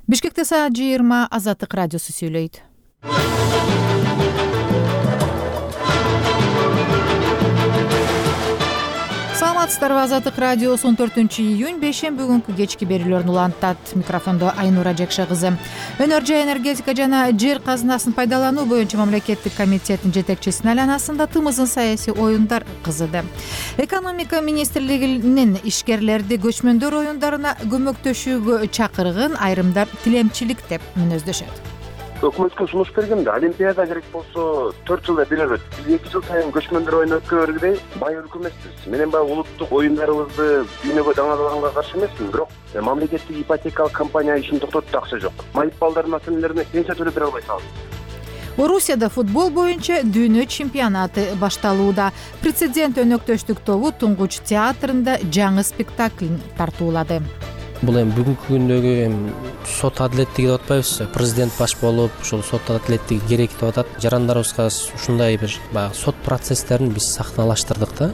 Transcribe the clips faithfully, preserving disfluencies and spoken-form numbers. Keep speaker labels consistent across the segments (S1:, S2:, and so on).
S1: Бишкекте саат жыйырма Азаттык радиосу сүйлөйт. Саламатсыздарбы? Азаттык радиосу он төртүнчү июнь бейшемби күнкү кечки берүүлөрүн улантат. Микрофондо Айнура Жекше кызы. Өнөр жай энергетика жана жер казынасын пайдалануу боюнча мамлекеттик комитеттин жетекчисинин айланасында тымызын саясий оюндар кызыды. Экономика министрлигинин ишкерлерди көчмөндөр оюндарына көмөктөшүүгө чакырган айрымдар тилемчилик деп мүнөздөшөт.
S2: Өкмөткө сунуш бергенде олимпиада керек болсо төрт жылда бир өтөт. Биз эки жыл сайын көчмөндөр оюну өткөргөдөй бай өлкө эмеспиз. Менен баягы улуттук оюндарыбызды дүйнөгө даңазаганга каршы эмесмин, бирок мамлекеттик ипотекалык компания ишин токтотту, акча жок. Майып балдардын ата-энелерине пенсия төлөп бере албай калды.
S1: Орусияда футбол боюнча дүйнө чемпионаты башталууда. Президент өнөктөштүк тобу Туңгуч театрында жаңы спектакль тартуулады.
S3: Бул эми бүгүнкү күндөгү эми сот адилеттиги деп атпайбызбы? Президент баш болуп, ушул сот адилеттиги керек деп атат. Жарандарыбызга ушундай бир баягы сот процесстерин биз сахналаштырдык да.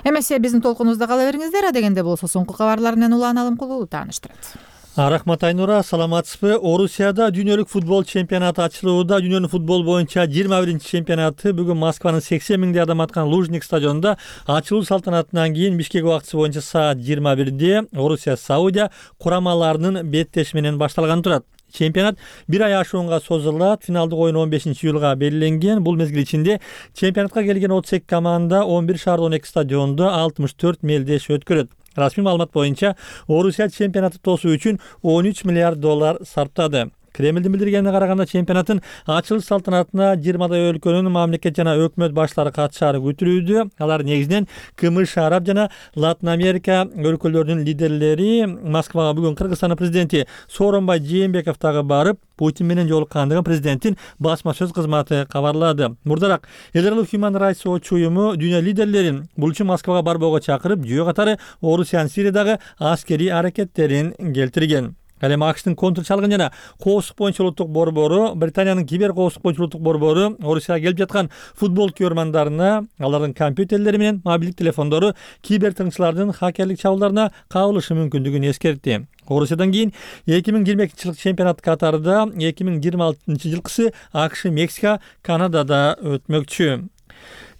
S1: Эмесе биздин толкунубузда кала бериңиздер. Адегенде болсо соңку кабарлар менен Улан Алымкулуу тааныштырат.
S4: Рахмат Айнура, саламатсызбы? Орусияда дүйнөлүк футбол чемпионаты ачылууда. Дүйнөнүн футбол боюнча жыйырма биринчи чемпионаты бүгүн Москванын сексен миңдей адам аткан Лужник стадионунда ачылуу салтанатынан кийин Бишкек убактысы боюнча саат жыйырма бирде Орусия Саудия курамаларынын беттеши менен башталган турат. Чемпионат бир ай ашуунга созулат. Финалдык оюн он бешинчи июлга белгиленген. Бул мезгил ичинде чемпионатка келген отуз эки команда он бир шаарда он эки стадиондо алтымыш төрт мелдеш өткөрөт. Расмий маалымат боюнча Орусия чемпионатты тосуу үчүн он үч миллиард доллар сарптады. Кремлдин билдиргенине караганда чемпионаттын ачылыш салтанатына жыйырмадай өлкөнүн мамлекет жана өкмөт баштары катышаары күтүлүүдө. Алар негизинен КМШ, Араб жана Латын Америка өлкөлөрүнүн лидерлери. Москвага бүгүн Кыргызстандын президенти Сооронбай Жээнбеков дагы барып, Путин менен жолуккандыгын президенттин басма сөз кызматы кабарлады. Мурдараак эл аралык Human Rights Watch уюму дүйнө лидерлерин бул үчүн Москвага барбоого чакырып, жөө катары Орусиянын Сириядагы аскерий аракеттерин келтирген. Ал эми АКШтын контр чалгын жана коопсуздук боюнча улуттук борбору, Британиянын кибер коопсуздук боюнча улуттук борбору Орусияга келип жаткан футбол көрмандарына, алардын компьютерлери менен мобилдик телефондору кибер тыңчылардын хакерлик чабуулдарына кабылышы мүмкүндүгүн эскертти. Орусиядан кийин эки миң жыйырма экинчи жылкы чемпионат катарында эки миң жыйырма алтынчы жылкысы АКШ, Мексика, Канадада өтмөкчү.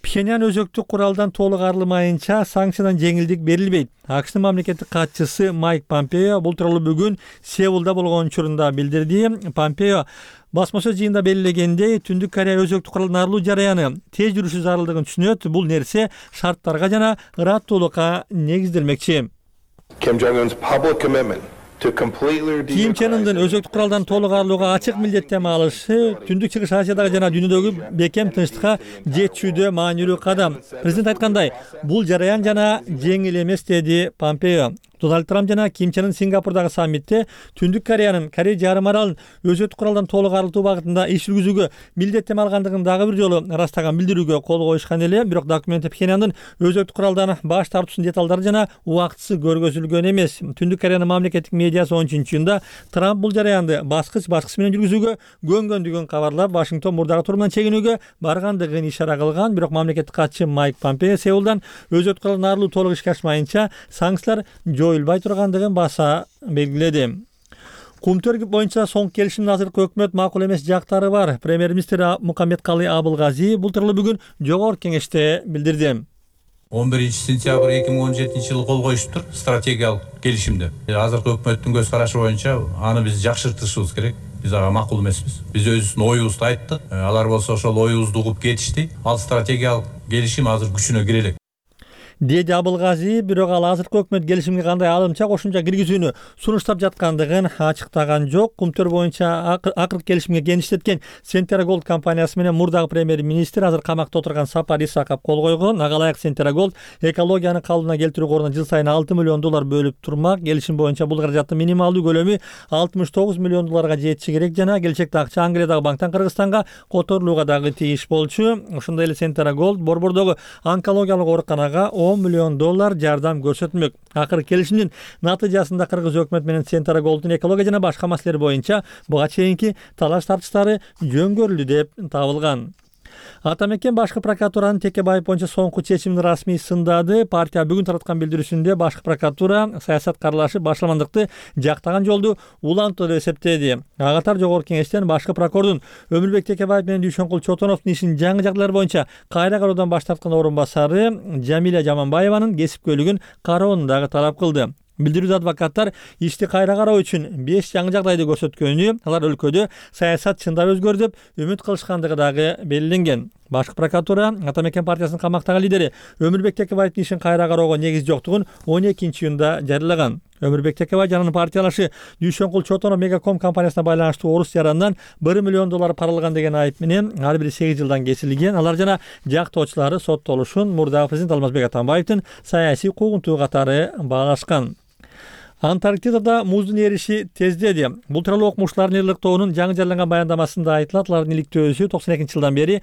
S4: Пхеньян өзөктүк куралдан толук арылмайынча санкциядан жеңилдик берилбейт. АКШтын мамлекеттик катчысы Майк Помпео бул тууралуу бүгүн Сеулда болгон учурунда билдирди. Помпео басма сөз жыйынында белгилегендей, Түндүк Корея өзөктүк куралдан арылуу жараяны тез жүрүшү зарылдыгын түшүнөт. Бул нерсе шарттарга жана ыраттуулукка негизделмекчи.
S5: Kim Jong-un's public commitment
S4: Ким Чен Ындын өзөктүк куралдан толук арылууга ачык милдеттенме алышы Түндүк Чыгыш Азиядагы жана дүйнөдөгү бекем тынчтыкка жетүүдө маанилүү кадам. Президент айткандай, бул жараян жана жеңил эмес, деди Помпео. Дональд Трамп жана Ким Чен Ын Сингапурдагы саммитте Түндүк Кореянын Корея жарым аралын өзөктүк куралдан толук арылтуу багытында иш жүргүзүүгө милдеттенме алгандыгын дагы бир жолу ырастаган билдирүүгө кол коюшкан эле. Бирок документте Пхеньяндын өзөктүк куралдан баш тартуусунун деталдары жана убактысы көргөзүлгөн эмес. Түндүк Кореянын мамлекеттик медиасы он үчүнчү июнда Трамп бул жараянды баскыч баскыч менен жүргүзүүгө көнгөндүгүн кабарлап, Вашингтон мурдагы турумунан чегинүүгө баргандыгын ишара кылган. Бирок мамлекеттик катчы Майк Помпео Сеулдан өзөктүк куралдан арылуу толук ишке ашмайынча санкциялар жоюлбай тургандыгын баса белгиледи. Кумтөр боюнча соңку келишимдин азыркы өкмөт макул эмес жактары бар. Премьер-министр Мукаммедкалый Абылгазиев бул тууралуу бүгүн жогорку кеңеште билдирди.
S6: он биринчи сентябрь эки миң он жетинчи жылы кол коюшуптур стратегиялык келишимде. Азыркы өкмөттүн көз карашы боюнча аны биз жакшыртышыбыз керек. Биз ага макул эмеспиз. Биз өзүбүздүн оюбузду айттык. Алар болсо ошол оюбузду угуп кетишти. Ал стратегиялык келишим азыр күчүнө кире элек.
S4: деди Абылгазиев. Бирок ал азыркы өкмөт келишимге кандай алымча кошумча киргизүүнү сунуштап жаткандыгын ачыктаган жок. Кумтөр боюнча акыркы келишимге кеңиштеткен Centera Gold компаниясы менен мурдагы премьер-министр азыр камакта отурган Сапар Исаков кол койгон. Ага ылайык Centera Gold экологияны калыбына келтирүү коруна жыл сайын алты миллион доллар бөлүп турмак. Келишим боюнча бул каражаттын минималдуу көлөмү алтымыш тогуз миллион долларга жетиши керек жана келечекте акча Англиядагы банктан Кыргызстанга которулууга дагы тийиш болчу. Ошондой эле Centera Gold Борбордогу онкологиялык ооруканага он миллион доллар жардам көрсөтмөк. Акыркы келишимдин натыйжасында Кыргыз өкмөт менен Centera Gold'ун экология жана башка маселелер боюнча буга чейинки талаш тартыштары жөнгөрүлдү деп табылган. Ата мекен башкы прокуратуранын Текебаев боюнча соңку чечимин расмий сындады. Партия бүгүн тараткан билдирүүсүндө башкы прокуратура саясат каралашы башаламандыкты жактаган жолду улантуу деп эсептеди. Ага катар жогорку кеңештен башкы прокурордун Өмүрбек Текебаев менен Дүйшөнкул Чотоновдун ишин жаңы жагдайлар боюнча кайра кароодан баш тарткан орун басары Жамиля Жаманбаеванын кесипкөйлүгүн кароону дагы талап кылды. Билдирүүдө адвокаттар ишти кайра кароо үчүн беш жаңы жагдайды көрсөткөнү, алар өлкөдө саясат чындап өзгөрдү деп үмүт кылышкандыгы дагы белгиленген. Башкы прокуратура Ата мекен партиясынын камактагы лидери Өмүрбек Текебаевдин ишин кайра кароого негиз жоктугун он экинчи июнда жарыялаган. Өмүрбек Текебаев жанын партиялашы Дүйшөнкул Чотонов Мегаком компаниясына байланыштуу орус жаранынан бир миллион доллар паралган деген айып менен ар бири сегиз жылдан кесилген. Алар жана жактоочулары соттолушун мурдагы президент Алмазбек Атамбаевдин саясий куугунтугу катары баалашкан. Антарктидада муздун эриши тездеди. Бул тууралуу окумуштуулардын ыйлыктоонун жаңы жарыяланган баяндамасында айтылат. Алардын иликтөөсү токсон экинчи жылдан бери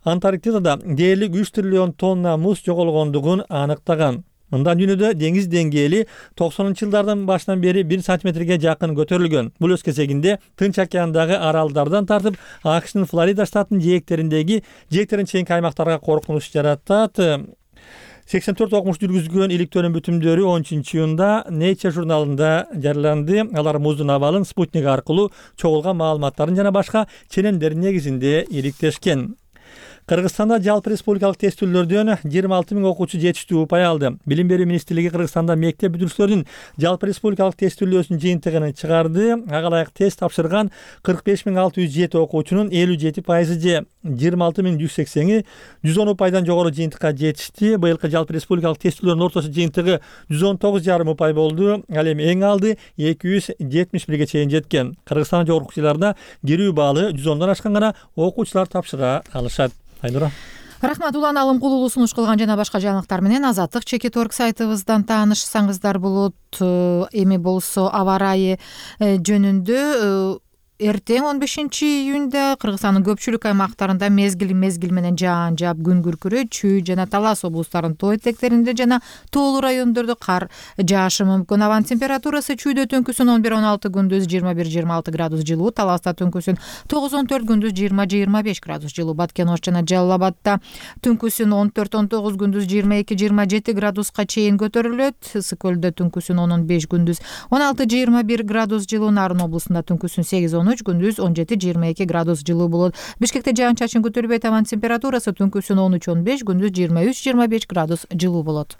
S4: Антарктидада дээрлик үч триллион тонна муз жоголгондугун аныктаган. Мындан дүйнөдө деңиз деңгээли токсонунчу жылдардын башынан бери бир сантиметрге жакын көтөрүлгөн. Бул өз кезегинде Тынч океандагы аралдардан тартып АКШнын Флорида штатынын жээктериндеги жээктерин чейинки аймактарга коркунуч жаратат. сексен төрт окумуш жүргүзгөн иликтөөнүн бүтүмдөрү он үчүнчү июнда Nature журналында жарыяланды. Алар муздун абалын спутник аркылуу чогулган маалыматтарын жана башка ченемдердин негизинде иликтешкен. Кыргызстанда жалпы республикалык тестүүлөрдөн жыйырма алты миң окуучу жетиштүү упай алды. Билим берүү министрлиги Кыргызстанда мектеп бүтүрүүчүлөрдүн жалпы республикалык тестүүлөөсүнүн жыйынтыгын чыгарды. Ага ылайык тест тапшырган кырк беш миң алты жүз жети окуучунун элүү жети пайызы же жыйырма алты миң жүз сексени жүз он упайдан жогору жыйынтыкка жетишти. Быйылкы жалпы республикалык тестүүлөрдүн орточо жыйынтыгы жүз он тогуз жарым упай болду. Ал эми эң алды эки жүз жетимиш бирге чейин жеткен. Кыргызстандын жогорку окуучуларына кирүү баалы жүз ондон ашкан гана окуучулар тапшыра алышат. Айнура.
S1: Рахмат. Улан Алымкулуулу сунуш кылган жана башка жаңылыктар менен Азаттык чекит орг сайтыбыздан таанышсаңыздар болот. Эми болсо аба ырайы жөнүндө эртең он бешинчи июнда Кыргызстандын көпчүлүк аймактарында мезгил мезгил менен жаан жаап күн күркүрөйт. Чүй жана Талас облустарынын тоо этектеринде жана тоолуу райондордо кар жаашы мүмкүн. Абанын температурасы чүйдө түнкүсүн он бир он алты, күндүз жыйырма бир жыйырма алты градус жылуу, Таласта түнкүсүн тогуз он төрт, күндүз жыйырма жыйырма беш градус жылуу. Баткен Ош жана Жалал Абадта түнкүсүн он төрт он тогуз, күндүз жыйырма эки жыйырма жети градуска чейин көтөрүлөт. Ысык көлдө түнкүсүн он он беш, күндүз он алты жыйырма бир градус жылуу. Нарын облусунда түнкүсүн сегиз он үч, күндүз он жети жыйырма эки градус жылуу болот. Бишкекте жаан чачын көтөрбөйт. Абанын температурасы түнкүсүн он үч он беш, күндүз жыйырма үч жыйырма беш градус жылуу болот.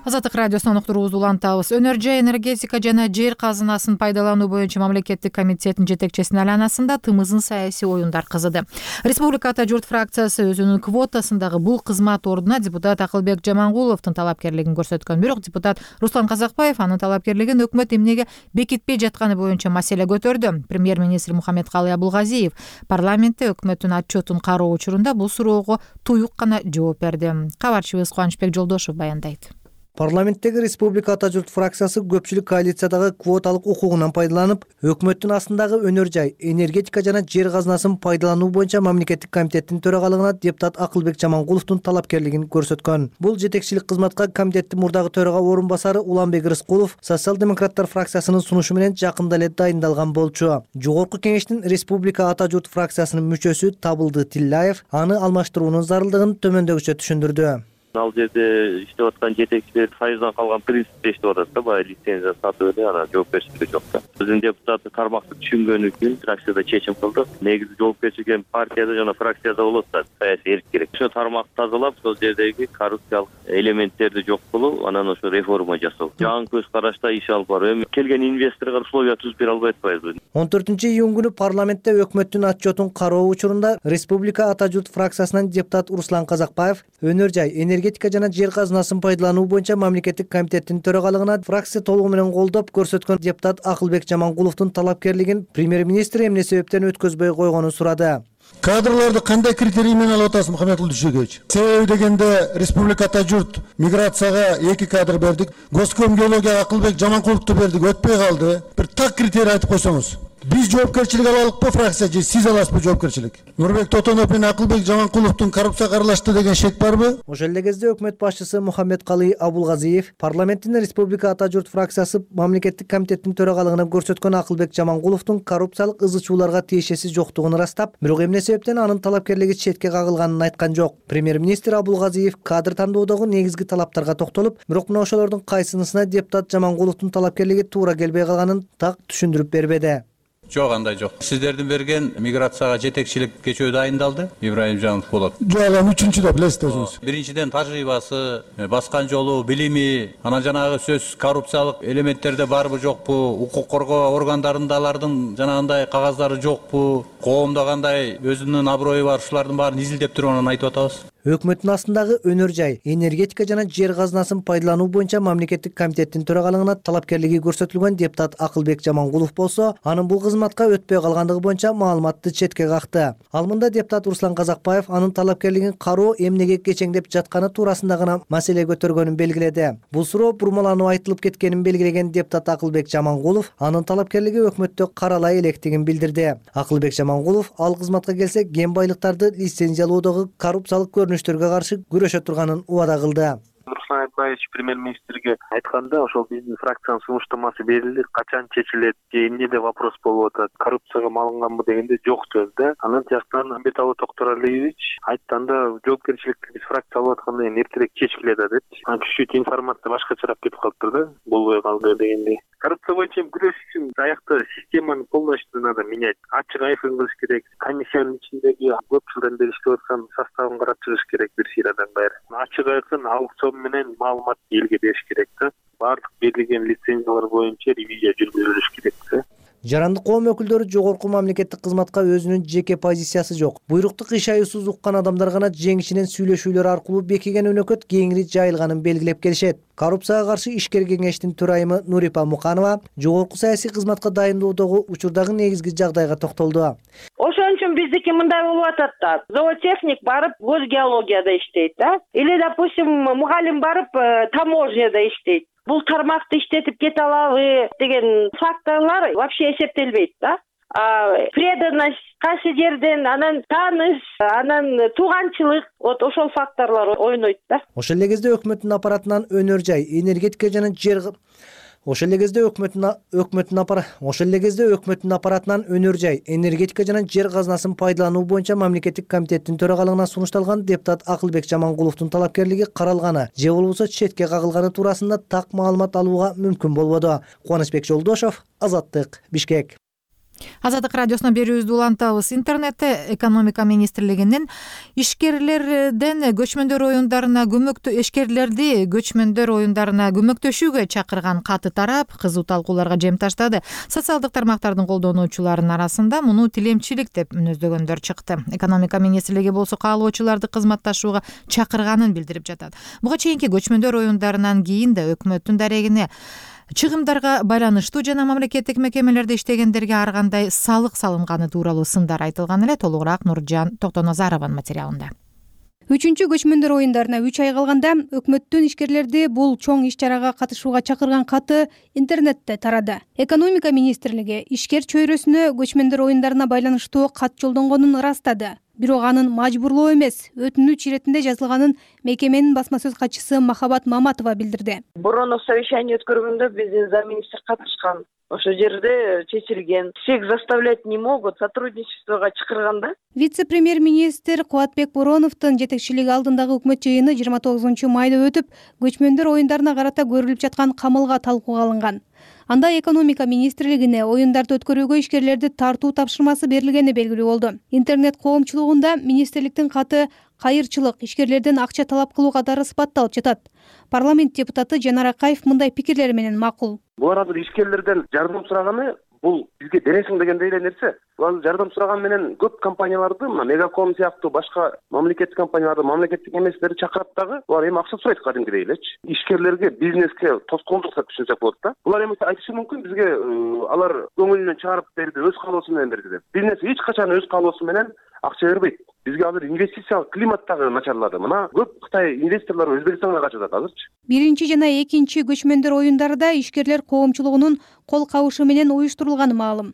S1: Азаттык радиосунан уктуруубузду улантабыз. Өнөр жай энергетика жана жер казынасын пайдалануу боюнча мамлекеттик комитеттин жетекчисинин айланасында тымызын саясий оюндар кызыды. Республика Ата журт фракциясы өзүнүн квотасындагы бул кызмат ордуна депутат Акылбек Жамангуловдун талапкерлигин көрсөткөн. Бирок депутат Руслан Казакбаев анын талапкерлигин өкмөт эмнеге бекитпей жатканы боюнча маселе көтөрдү. Премьер-министр Мухаммедкалый Абулгазиев парламентте өкмөттүн отчетун кароо учурунда бул суроого туюк гана жооп берди. Кабарчыбыз Кубанычбек Жолдошев баяндайт.
S7: Парламенттеги Республика Ата журт фракциясы көпчүлүк коалициядагы квоталык укугунан пайдаланып, өкмөттүн астындагы өнөр жай, энергетика жана жер казынасын пайдалануу боюнча мамлекеттик комитеттин төрагалыгына депутат Акылбек Жамангуловдун талапкерлигин көрсөткөн. Бул жетекчилик кызматка комитеттин мурдагы төрага орун басары Уланбек Рыскулов социал-демократтар фракциясынын сунушу менен жакында эле дайындалган болчу. Жогорку кеңештин Республика Ата журт фракциясынын мүчөсү Табылды Тилляев аны алмаштыруунун зарылдыгын төмөндөгүчө түшүндүрдү.
S8: Ал жерде иштеп аткан жетекчилер союздан калган принципте иштеп атат да, баягы лицензия сатып эле анан жоопкерчилиги жок да. Биздин депутат тармакты түшүнгөнү үчүн фракцияда чечим кылдык. Негизи жоопкерчилик партияда жана фракцияда болот да, саясий эрк керек. Ошо тармакты тазалап, сол жердеги коррупциялык элементтерди жок кылуу, анан ошо реформа жасоо. Жаңы көз карашта иш алып баруу. Эми келген инвесторго условия түзүп бере албай атпайбызбы?
S7: он төртүнчү июнь күнү парламентте өкмөттүн отчетун кароо учурунда Республика Ата журт фракциясынан депутат Руслан Казакбаев өнөр жай, энергетика жана жер казынасын пайдалануу боюнча мамлекеттик комитеттин төрагалыгына фракция толугу менен колдоп көрсөткөн депутат Акылбек Жамангуловдун талапкерлигин премьер-министр эмне себептен өткөзбөй койгонун сурады.
S9: Кадрларды кандай критерий менен алып атасыз, Мухаммедкулов Дүйшөгөч? Себеби дегенде Республика Ата журт миграцияга эки кадр бердик, госком геологияга Акылбек Жаманкуловду бердик, өтпөй калды. Бир так критерий айтып койсоңуз. Биз жоопкерчилик алалыкпы фракция же сиз аласызбы жоопкерчилик? Нурбек Тотонов менен Акылбек Жаманкуловдун коррупцияга аралашты деген шек барбы?
S7: Ошол эле кезде өкмөт башчысы Мухаммедкалый Абулгазиев парламенттин Республика Ата журт фракциясы мамлекеттик комитеттин төрагалыгына көрсөткөн Акылбек Жаманкуловдун коррупциялык ызы-чууларга тиешеси жоктугун ырастап, бирок эмне себептен анын талапкерлиги четке кагылганын айткан жок. Премьер-министр Абулгазиев кадр тандоодогу негизги талаптарга токтолуп, бирок мына ошолордун кайсынысына депутат Жаманкуловдун талапкерлиги туура келбей калганын так түшүндүрүп бербеди.
S6: Жок, андай жок. Сиздердин берген миграцияга жетекчилик кечөө дайындалды. Ибраимжанов болот.
S9: Жок, анан үчүнчүдө билесиз өзүңүз.
S6: Биринчиден тажрыйбасы, баскан жолу, билими, анан жанагы сөз коррупциялык элементтерде барбы жокпу, укук коргоо органдарында алардын жанагындай кагаздары жокпу, коомдо кандай өзүнүн аброю бар, ушулардын баарын изилдеп туруп анан айтып атабыз.
S7: Өкмөттүн астындагы өнөр жай, энергетика жана жер казынасын пайдалануу боюнча мамлекеттик комитеттин төрагалыгына талапкерлиги көрсөтүлгөн депутат Акылбек Жаманкулов болсо, анын бул кызматка өтпөй калгандыгы боюнча маалыматты четке какты. Ал мында депутат Руслан Казакбаев анын талапкерлигин кароо эмнеге кечеңдеп жатканы туурасында гана маселе көтөргөнүн белгиледи. Бул суроо бурмаланып айтылып кеткенин белгилеген депутат Акылбек Жаманкулов анын талапкерлиги өкмөттө каралай электигин билдирди. Акылбек Жаманкулов ал кызматка келсе кен байлыктарды лицензиялоодогу коррупциялык көрүнүштөргө каршы күрөшө турганын убада кылды.
S10: Руслан Айтбаевич премьер-министрге айтканда, ошол биздин фракциянын сунуштамасы берилди, качан чечилет, эмнеде вопрос болуп атат, коррупцияга малынганбы дегенде жок сөз да. Анан тияктан Амбеталы Токторалиевич айтканда, жоопкерчиликти биз фракция алып аткандан кийин эртерээк чечкилет да депчи. Анан чуть-чуть информация башкачараак кетип калыптыр да, болбой калды дегендей. Коррупция боюнча күрөш үчүн аякта системаны полностью надо менять. Ачык айкын кылыш керек. Комиссиянын ичиндеги көп жылдан бери иштеп аткан составын карап чыгыш керек бир сыйрадан баары. Ачык айкын аукцион менен маалымат элге бериш керек да. Баардык берилген лицензиялар боюнча ревизия жүргүзүлүш керек да.
S7: Жарандык коом өкүлдөрү жогорку мамлекеттик кызматка өзүнүн жеке позициясы жок. Буйрукту кыйшаюусуз уккан адамдар гана жеңишинен сүйлөшүүлөр аркылуу бекиген өнөкөт кеңири жайылганын белгилеп келишет. Коррупцияга каршы ишкер кеңештин төрайымы Нурипа Муканова жогорку саясий кызматка дайындоодогу учурдагы негизги жагдайга токтолду.
S11: Ошон үчүн биздики мындай болуп атат да. Зоотехник барып госгеологияда иштейт да. Или, допустим, мугалим барып таможняда иштейт. Бул тармакты иштетип кете алабы деген факторлор вообще эсептелбейт да. А преданность кайсы жерден, анан тааныш, анан тууганчылык, вот ошол факторлор ойнойт да.
S7: Ошол эле кезде өкмөттүн аппаратынан өнөр жай, энергетика жана жер Ошол эле кезде өкмөттүн өкмөттүн аппарат Ошол эле кезде өкмөттүн аппаратынан өнөр жай, энергетика жана жер казынасын пайдалануу боюнча мамлекеттик комитеттин төрагалыгына сунушталган депутат Акылбек Жаманкуловдун талапкерлиги каралганы же болбосо четке кагылганы туурасында так маалымат алууга мүмкүн болбоду. Кубанычбек Жолдошов, Азаттык, Бишкек.
S1: Азаттык радиосуна берүүбүздү улантабыз. Интернетте экономика министрлигинин ишкерлерден көчмөндөр оюндарына көмөктө ишкерлерди көчмөндөр оюндарына көмөктөшүүгө чакырган каты тарап, кызуу талкууларга жем таштады. Социалдык тармактардын колдонуучуларынын арасында муну тилемчилик деп мүнөздөгөндөр чыкты. Экономика министрлиги болсо каалоочуларды кызматташууга чакырганын билдирип жатат. Буга чейинки көчмөндөр оюндарынан кийин да өкмөттүн дарегине чыгымдарга байланыштуу жана мамлекеттик мекемелерде иштегендерге ар кандай салык салынганы тууралуу сындар айтылган эле. Толугураак Нуржан Токтоназарованын материалында.
S12: Үчүнчү көчмөндөр оюндарына үч ай калганда өкмөттүн ишкерлерди бул чоң иш-чарага катышууга чакырган каты интернетте тарады. Экономика министрлиги ишкер чөйрөсүнө көчмөндөр оюндарына байланыштуу кат жолдонгонун ырастады. Бирок анын мажбурлоо эмес, өтүнүч иретинде жазылганын мекеменин басма сөз катчысы Махабат Маматова билдирди.
S11: Борооно совещание өткөргөндө биздин замминистр катышкан. Ошол жерде чечилген. Всех заставлять не могут, сотрудничествого чакырганда.
S12: Вице-премьер-министр Кубатбек Бороновдун жетекчилиги алдындагы өкмөт жыйыны жыйырма тогузунчу майда өтүп, көчмөндөр оюндарына карата көрүлүп жаткан камылга талкууга алынган. Анда экономика министрлигине оюндарды өткөрүүгө ишкерлерди тартуу тапшырмасы берилгени белгилүү болду. Интернет коомчулугунда министрликтин каты кайырчылык, ишкерлерден акча талап кылуу катары сыпатталып жатат. Парламент депутаты Жанар Акаев мындай пикирлер менен макул.
S2: Булар азыр ишкерлерден жардам сураганы бул бизге бересиң дегендей эле нерсе. Булар жардам сураган менен көп компанияларды, мына Мегаком сыяктуу башка мамлекеттик компанияларды, мамлекеттик эместерди чакырат дагы, булар эми акча сурайт кадимгидей элечи. Ишкерлерге, бизнеске тоскоолдук деп түшүнсөк болот да. Булар эми айтышы мүмкүн бизге алар көңүлүнөн чыгарып берди, өз каалоосу менен берди деп. Бизнес эч качан өз каалоосу менен акча бербейт. Бизге азыр инвестициялык климат дагы начарлады. Мына көп Кытай инвесторлору Өзбекстанга качып атат азырчы.
S12: Биринчи жана экинчи көчмөндөр оюндарда ишкерлер коомчулугунун кол кабышы менен уюштурулганы маалым.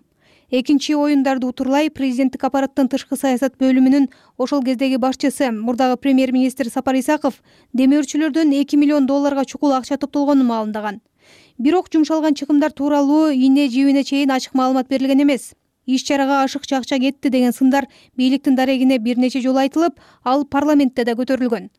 S12: Экинчи оюндарды утурлай президенттик аппараттын тышкы саясат бөлүмүнүн ошол кездеги башчысы, мурдагы премьер-министр Сапар Исаков демөөрчүлөрдөн эки миллион долларга чукул акча топтолгонун маалымдаган. Бирок жумшалган чыгымдар тууралуу ийне жибине чейин ачык маалымат берилген эмес. Иш-чарага ашыкча акча кетти деген сындар бийликтин дарегине бир нече жолу айтылып, ал парламентте да көтөрүлгөн.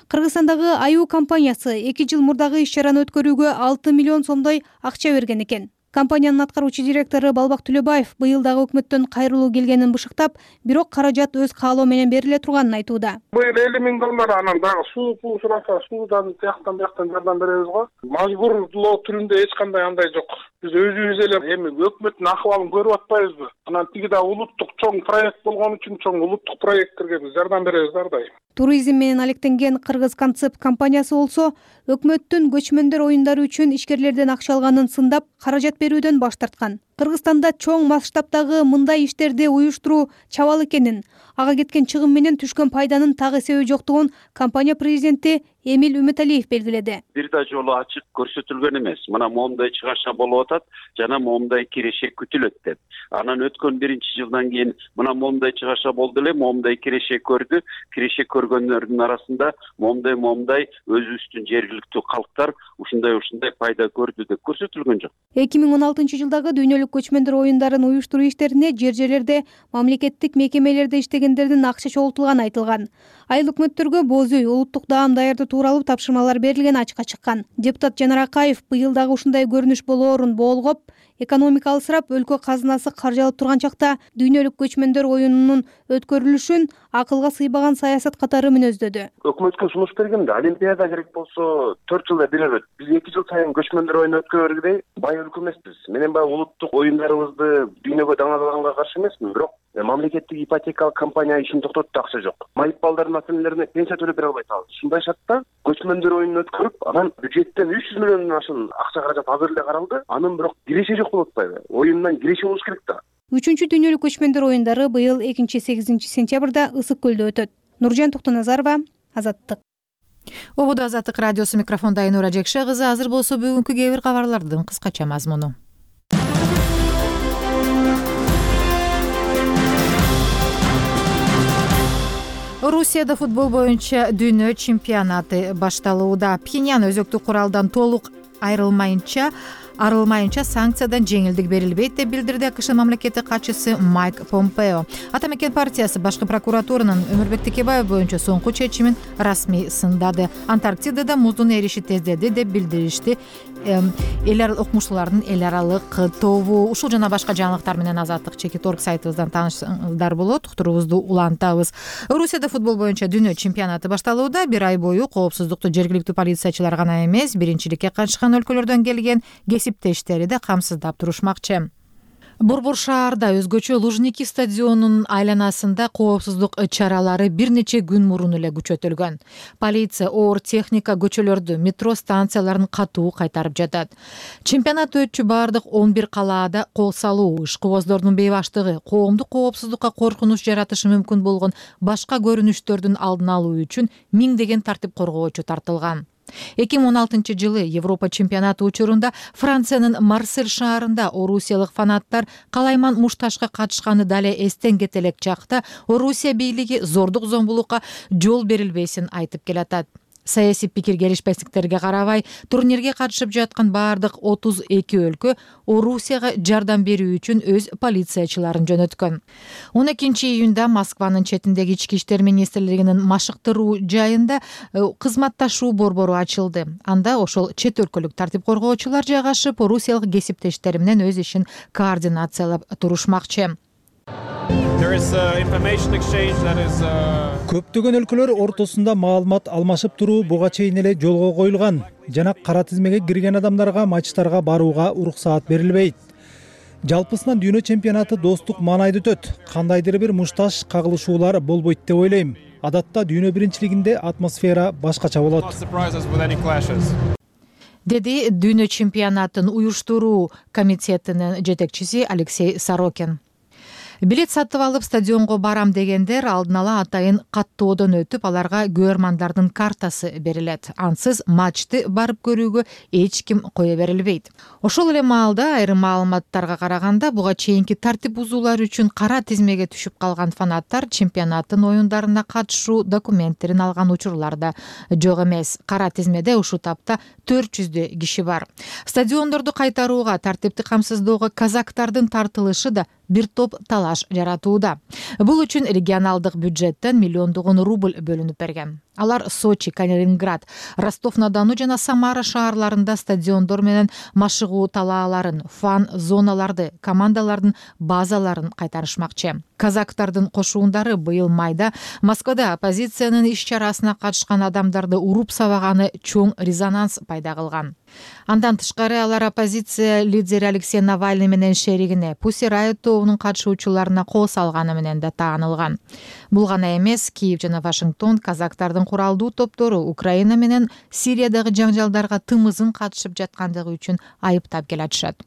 S12: Кыргызстандагы Аю компаниясы эки жыл мурдагы иш-чараны өткөрүүгө алты миллион сомдой акча берген экен. Компаниянын аткаруучу директору Балбак Төлөбаев быйыл дагы өкмөттөн кайрылуу келгенин бышыктап, бирок каражат өз каалоо менен бериле турганын айтууда.
S13: Быйыл элүү миң доллар, анан дагы суу пул сураса, суудан тияктан бияктан жардам беребиз го. Мажбурлоо түрүндө эч кандай андай жок. Биз өзүбүз эле эми өкмөттүн акыбалын көрүп атпайбызбы? Анан тиги да улуттук чоң проект болгон үчүн чоң улуттук проекттерге биз жардам беребиз ар дайым.
S12: Туризм менен алектенген Кыргыз концепт компаниясы болсо, өкмөттүн көчмөндөр оюндары үчүн ишкерлерден акча алганын сындап, каражат берүүдөн баш тарткан. Кыргызстанда чоң масштабтагы мындай иштерди уюштуруу чабал экенин, ага кеткен чыгым менен түшкөн пайданын так эсеби жоктугун компания президенти Эмил Үмүталиев белгиледи.
S14: Бир да жолу ачык көрсөтүлгөн эмес. Мына момундай чыгаша болуп атат, жана момундай киреше күтүлөт деп. Анан өткөн биринчи жылдан кийин мына момундай чыгаша болду эле, момундай киреше көрдү. Киреше көргөндөрдүн арасында момундай момундай өзүбүздүн жергиликтүү калктар ушундай ушундай пайда көрдү деп көрсөтүлгөн жок.
S12: эки миң он алтынчы жылдагы дүйнөлүк көчмөндөр оюндарын уюштуруу иштерине жер жерлерде мамлекеттик мекемелерде иштегендердин акча чогултулганы айтылган. Айыл өкмөттөргө боз үй, улуттук даам даярдоо тууралуу тапшырмалар берилгени ачыкка чыккан. Депутат Жанар Акаев быйыл дагы ушундай көрүнүш болоорун боолгоп, экономика алсырап, өлкө казынасы каржалып турган чакта дүйнөлүк көчмөндөр оюнунун өткөрүлүшүн акылга сыйбаган саясат катары мүнөздөдү.
S2: Өкмөткө сунуш бергенде Олимпиада керек болсо төрт жылда бир өтөт. Биз эки жыл сайын көчмөндөр оюну өткөргөдөгүдөй бай өлкө эмеспиз. Менен баягы улуттук оюндарыбызды дүйнөгө даңазаганга каршы эмесмин, бирок мамлекеттик ипотекалык компания ишин токтотту, акча жок. Майып балдардын ата-энелерине пенсия төлөп бере албай атабыз. Ушундай шартта көчмөндөр оюнун өткөрүп, анан бюджеттен үч жүз миллиондон ашык акча каражат азыр эле каралды. Анын бирок киреше жок болуп атпайбы? Оюндан киреше болуш керек да.
S12: Үчүнчү дүйнөлүк көчмөндөр оюндары быйыл экинчи сегизинчи сентябрда Ысык көлдө өтөт. Нуржан Токтоназарова, Азаттык.
S1: Ободо Азаттык радиосу микрофондо Айнура Жекше кызы. Азыр болсо бүгүнкү кээ бир кабарлардын кыскача мазмуну. Русияда футбол боюнча дүйнө чемпионаты башталууда. Пхеньян өзөктүк куралдан толук айрылмайынча арылмайынча санкциядан жеңилдик берилбейт деп билдирди АКШ мамлекеттик катчысы Майк Помпео. Ата мекен партиясы башкы прокуратуранын Өмүрбек Текебаев боюнча соңку чечимин расмий сындады. Антарктидада муздун эриши тездеди деп билдиришти эл аралык окумуштуулардын эл аралык тобу. Ушул жана башка жаңылыктар менен Азаттык чекит орг сайтыбыздан таанышсаңдар болот. Уктуруубузду улантабыз. Русияда футбол боюнча дүйнө чемпионаты башталууда. Бир ай бою коопсуздукту жергиликтүү полициячылар гана эмес, биринчиликке катышкан өлкөлөрдөн келген кесиптештери да камсыздап турушмакчы. Борбор шаарда өзгөчө Лужники стадионунун айланасында коопсуздук чаралары бир нече күн мурун эле күчөтүлгөн. Полиция оор техника көчөлөрдү, метро станцияларын катуу кайтарып жатат. Чемпионат өтчү бардык он бир калаада кол салуу, ишкыбоздордун бейбаштыгы, коомдук коопсуздукка коркунуч жаратышы мүмкүн болгон башка көрүнүштөрдүн алдын алуу үчүн миңдеген тартип коргоочу тартылган. эки миң он алтынчы жылы Европа чемпионаты учурунда Франциянын Марсель шаарында орусиялык фанаттар калайман мушташка катышканы дале эстен кете элек чакта Орусия бийлиги зордук зомбулукка жол берилбесин айтып келатат. Саясий пикир келишпестиктерге карабай, турнирге катышып жаткан бардык отуз эки өлкө Орусияга жардам берүү үчүн өз полициячыларын жөнөткөн. он экинчи июнда Москванын четиндеги ички иштер министрлигинин машыктыруу жайында кызматташуу борбору ачылды. Анда ошол чет өлкөлүк тартип коргоочулар жайгашып, орусиялык кесиптештери менен өз ишин координациялап турушмакчы.
S15: Көптөгөн өлкөлөр ортосунда маалымат алмашып туруу буга чейин эле жолго коюлган жана кара тизмеге кирген адамдарга матчтарга барууга уруксаат берилбейт. Жалпысынан дүйнө чемпионаты достук маанайда өтөт. Кандайдыр бир мушташ кагылышуулар болбойт деп ойлойм. Адатта дүйнө биринчилигинде атмосфера башкача болот.
S1: Деди дүйнө чемпионатын уюштуруу комитетинин жетекчиси Алексей Сорокин. Билет сатып алып стадионго барам дегендер алдын ала атайын каттоодон өтүп, аларга көрөрмандардын картасы берилет. Ансыз матчты барып көрүүгө эч ким кое берилбейт. Ошол эле маалда айрым маалыматтарга караганда буга чейинки тартип бузуулар үчүн кара тизмеге түшүп калган фанаттар чемпионаттын оюндарына катышуу документтерин алган учурлар да жок эмес. Кара тизмеде ушул тапта төрт жүздөй киши бар. Стадиондорду кайтарууга, тартипти камсыздоого казактардын тартылышы да бир топ талаш жаратууда. Бул үчүн регионалдык бюджеттен миллиондогон рубль бөлүнүп берген. Алар Сочи, Калининград, Ростов-на-Дону жана Самара шаарларында стадиондор менен машыгуу талааларын, фан зоналарды, командалардын базаларын кайтарышмакчы. Казактардын кошуундары быйыл майда Москвада оппозициянын иш-чарасына катышкан адамдарды уруп сабаганы чоң резонанс пайда кылган. Андан тышкары алар оппозиция лидери Алексей Навальный менен шеригине Pussy Riot тобунун катышуучуларына кол салганы менен да таанылган. Бул гана эмес, Киев жана Вашингтон казактардын куралдуу топтору Украина менен Сириядагы жаңжалдарга тымызын катышып жаткандыгы үчүн айыптап келатышат.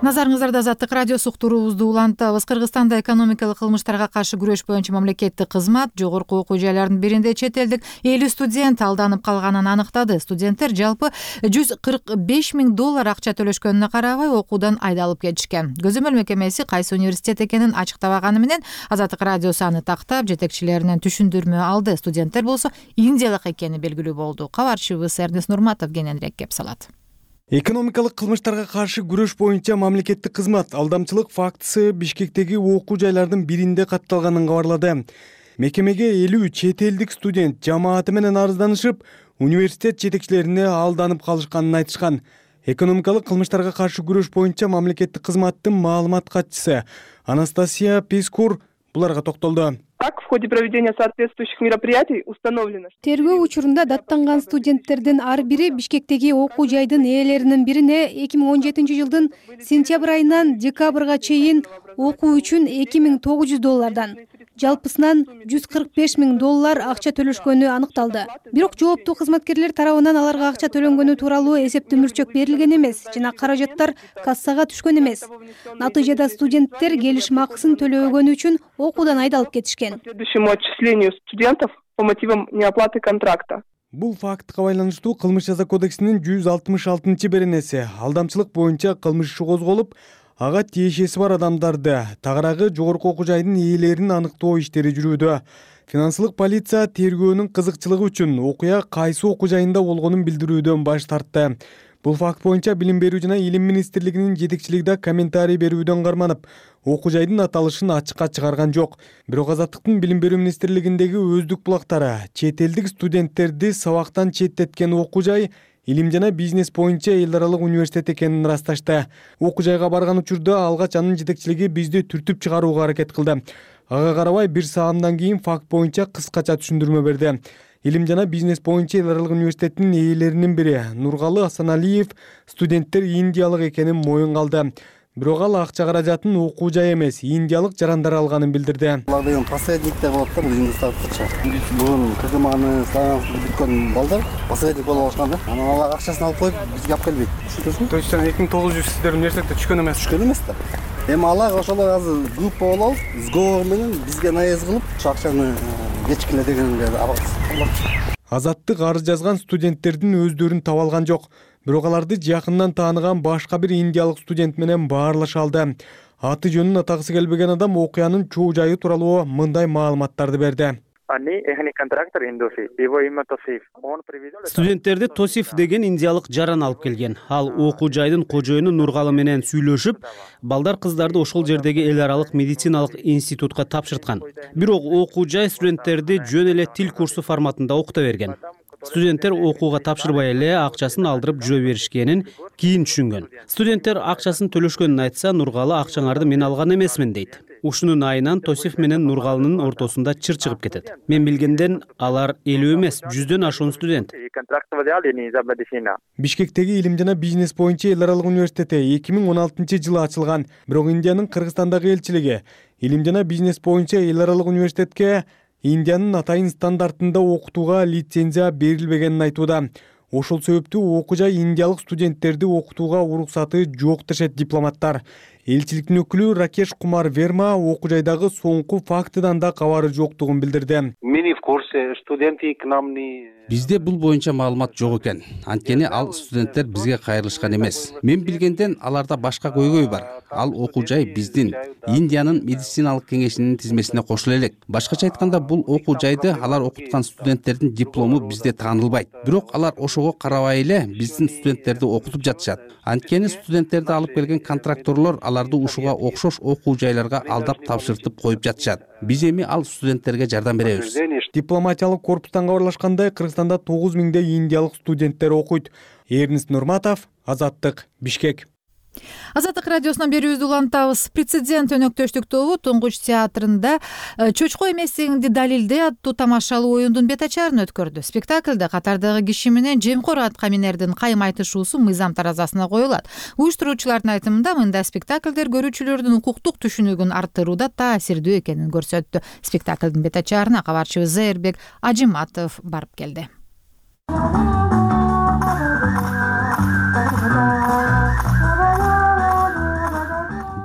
S1: Назарыңыздарда Азаттык радиосу уктуруубузду улантабыз. Кыргызстанда экономикалык кылмыштарга каршы күрөш боюнча мамлекеттик кызмат жогорку окуу жайларынын биринде чет элдик элүү студент алданып калганын аныктады. Студенттер жалпы жүз кырк беш миң доллар акча төлөшкөнүнө карабай окуудан айдалып кетишкен. Көзөмөл мекемеси кайсы университет экенин ачыктабаганы менен Азаттык радиосу аны тактап, жетекчилеринен түшүндүрмө алды. Студенттер болсо индиялык экени белгилүү болду. Кабарчыбыз Эрнест Нурматов кененирээк кеп салат.
S16: Экономикалык кылмыштарга каршы күрөш боюнча мамлекеттик кызмат алдамчылык фактысы Бишкектеги окуу жайлардын биринде катталганын кабарлады. Мекемеге элүү чет элдик студент жамааты менен арызданышып, университет жетекчилерине алданып калышканын айтышкан. Экономикалык кылмыштарга каршы күрөш боюнча мамлекеттик кызматтын маалымат катчысы Анастасия Пискур буларга токтолду.
S17: Так, в ходе проведения соответствующих мероприятий установлено.
S12: Тергөө учурунда даттанган студенттердин ар бири Бишкектеги окуу жайдын ээлеринин бирине эки миң он жетинчи жылдын сентябрь айынан декабрга чейин окуу үчүн эки миң тогуз жүз доллардан, жалпысынан жүз кырк беш миң доллар акча төлөшкөнү аныкталды. Бирок жооптуу кызматкерлер тарабынан аларга акча төлөнгөнү тууралуу эсептүү мурчок берилген эмес жана каражаттар кассага түшкөн эмес. Натыйжада студенттер келишим акысын төлөбөгөнү үчүн окуудан айдалып кетишкен.
S17: Следующему отчислению студентов по мотивам неоплаты контракта.
S16: Бул фактка байланыштуу Кылмыш жаза кодексинин жүз алтымыш алтынчы беренеси алдамчылык боюнча кылмыш иши козголуп, ага тиешеси бар адамдарды, тагыраагы жогорку окуу жайдын ээлерин аныктоо иштери жүрүүдө. Финансылык полиция тергөөнүн кызыкчылыгы үчүн окуя кайсы окуу жайында болгонун билдирүүдөн баш тартты. Бул факт боюнча Билим берүү жана Илим министрлигинин жетекчилиги комментарий берүүдөн карманып, окуу жайдын аталышын ачыкка чыгарган жок. Бирок Азаттыктын Билим берүү министрлигиндеги өздүк булактары чет элдик студенттерди сабактан четтеткен окуу жай Илим жана бизнес боюнча эл аралык университет экенин ырасташты. Окуу жайга барган учурда алгач анын жетекчилиги бизди түртүп чыгарууга аракет кылды. Ага карабай бир саамдан кийин факт боюнча кыскача түшүндүрмө берди. Илим жана бизнес боюнча эл аралык университеттин ээлеринин бири Нургалы Асаналиев студенттер индиялык экенин моюнга алды. Бирок ал акча каражатын окуу жай эмес, индиялык жарандар алганын билдирди.
S18: Алар деген посредниктер болот да, бул индустарча. Бул кызманы саамсыз бүткөн балдар посредник болуп алышкан да. Анан алар акчасын алып коюп бизге алып келбейт. Түшүнөсүңбү?
S16: То есть эки миң тогуз жүз сиздер университетте түшкөн эмес.
S18: Түшкөн эмес да. Эми алар ошолор азыр группа болуп алып, сговор менен бизге наезд кылып, ушу акчаны кечкиле дегенге абакчы.
S16: Азаттык арыз жазган студенттердин өздөрүн таба алган жок. Бирок аларды жакындан тааныган башка бир индиялык студент менен баарлаша алды. Аты жөнүн атагысы келбеген адам окуянын чоо жайы тууралуу мындай маалыматтарды берди.
S19: Студенттерди Тосиф деген индиялык жаран алып келген. Ал окуу жайдын кожоюну Нургалы менен сүйлөшүп, балдар кыздарды ошол жердеги эл аралык медициналык институтка тапшырткан. Бирок окуу жай студенттерди жөн эле тил курсу форматында окута берген. Студенттер окууга тапшырбай эле акчасын алдырып жүрө беришкенин кийин түшүнгөн. Студенттер акчасын төлөшкөнүн айтса, Нургалы акчаңарды мен алган эмесмин дейт. Ушунун айынан Тосиф менен Нургалынын ортосунда чыр чыгып кетет. Мен билгенден алар элүү эмес, жүздөн ашуун студент.
S16: Бишкектеги Илим жана бизнес боюнча эл аралык университети эки миң он алтынчы жылы ачылган. Бирок Индиянын Кыргызстандагы элчилиги Илим жана бизнес боюнча эл аралык университетке Индиянын атайын стандартында окутууга лицензия берилбегенин айтууда. Ошол себептүү окуу жай индиялык студенттерди окутууга уруксаты жок дешет дипломаттар. Элчиликтин өкүлү Ракеш Кумар Верма окуу жайдагы соңку фактыдан да кабары жоктугун билдирди.
S20: Бизде бул боюнча маалымат жок экен. Анткени ал студенттер бизге кайрылышкан эмес. Мен билгенден аларда башка көйгөй бар. Ал окуу жай биздин Индиянын медициналык кеңешинин тизмесине кошула элек. Башкача айтканда, бул окуу жайды алар окуткан студенттердин диплому бизде таанылбайт. Бирок алар ошого карабай эле биздин студенттерди окутуп жатышат. Анткени студенттерди алып келген контракторлор аларды ушуга окшош окуу жайларга алдап тапшыртып коюп жатышат. Биз эми ал студенттерге жардам беребиз.
S16: Дипломатиялык корпустан кабарлашкандай, Кыргызстанда тогуз миңдей индиялык студенттер окуйт. Эрнис Нурматов, Азаттык, Бишкек.
S1: Азаттык радиосунан берүүбүздү улантабыз. Прецедент өнөктөштүк тобу Туңгуч театрында Чочко эместигиңди далилдей аттуу тамашалуу оюндун бет ачарын өткөрдү. Спектаклде катардагы киши менен жемкор атка минердин кайым айтышуусу мыйзам таразасына коюлат. Уюштуруучулардын айтымында мындай спектаклдер көрүүчүлөрдүн укуктук түшүнүгүн арттырууда таасирдүү экенин көрсөттү. Спектаклдын бет ачарына кабарчыбыз Зайырбек Ажиматов барып келди.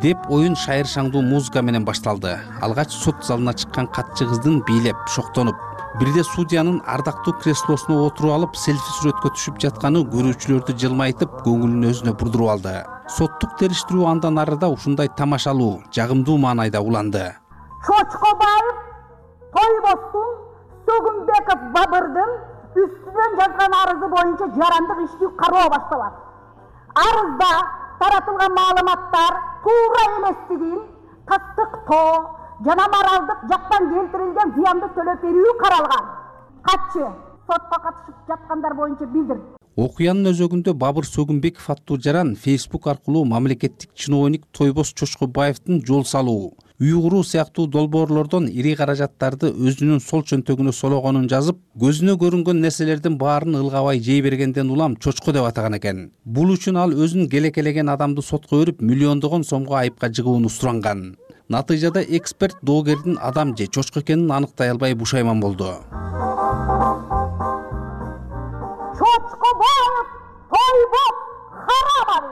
S20: деп оюн шайыр шаңдуу музыка менен башталды. Алгач сот залына чыккан катчы кыздын бийлеп, шоктонуп, бирде судьянын ардактуу креслосуна отуруп алып, селфи сүрөткө түшүп жатканы көрүүчүлөрдү жылмайтып, көңүлүн өзүнө бурдуруп алды. Соттук териштирүү андан арыда ушундай тамашалуу, жагымдуу маанайда уланды.
S21: Чочкобаев Тойбостун Сөгүнбеков Бабырдын үстүнөн жазган арызы боюнча жарандык иштүү кароо башталат. Арызда таратылган маалыматтар туура эместигин тастыктоо жана моралдык жактан келтирилген зыянды төлөп берүү каралган. Катчы сотко катышып жаткандар боюнча билдирди.
S20: Окуянын өзөгүндө Бабыр Сөгүнбеков аттуу жаран Facebook аркылуу мамлекеттик чиновник Тойбос Чочкобаевдин жол салуу, үй куруу сыяктуу долбоорлордон ири каражаттарды өзүнүн сол чөнтөгүнө сологонун жазып, көзүнө көрүнгөн нерселердин баарын ылгабай жей бергенден улам чочко деп атаган экен. Бул үчүн ал өзүн келекелеген адамды сотко берип, миллиондогон сомго айыпка жыгууну суранган. Натыйжада эксперт доогердин адам же чочко экенин аныктай албай бушайман болду.
S21: Чочкобаев Тойбос Харамович.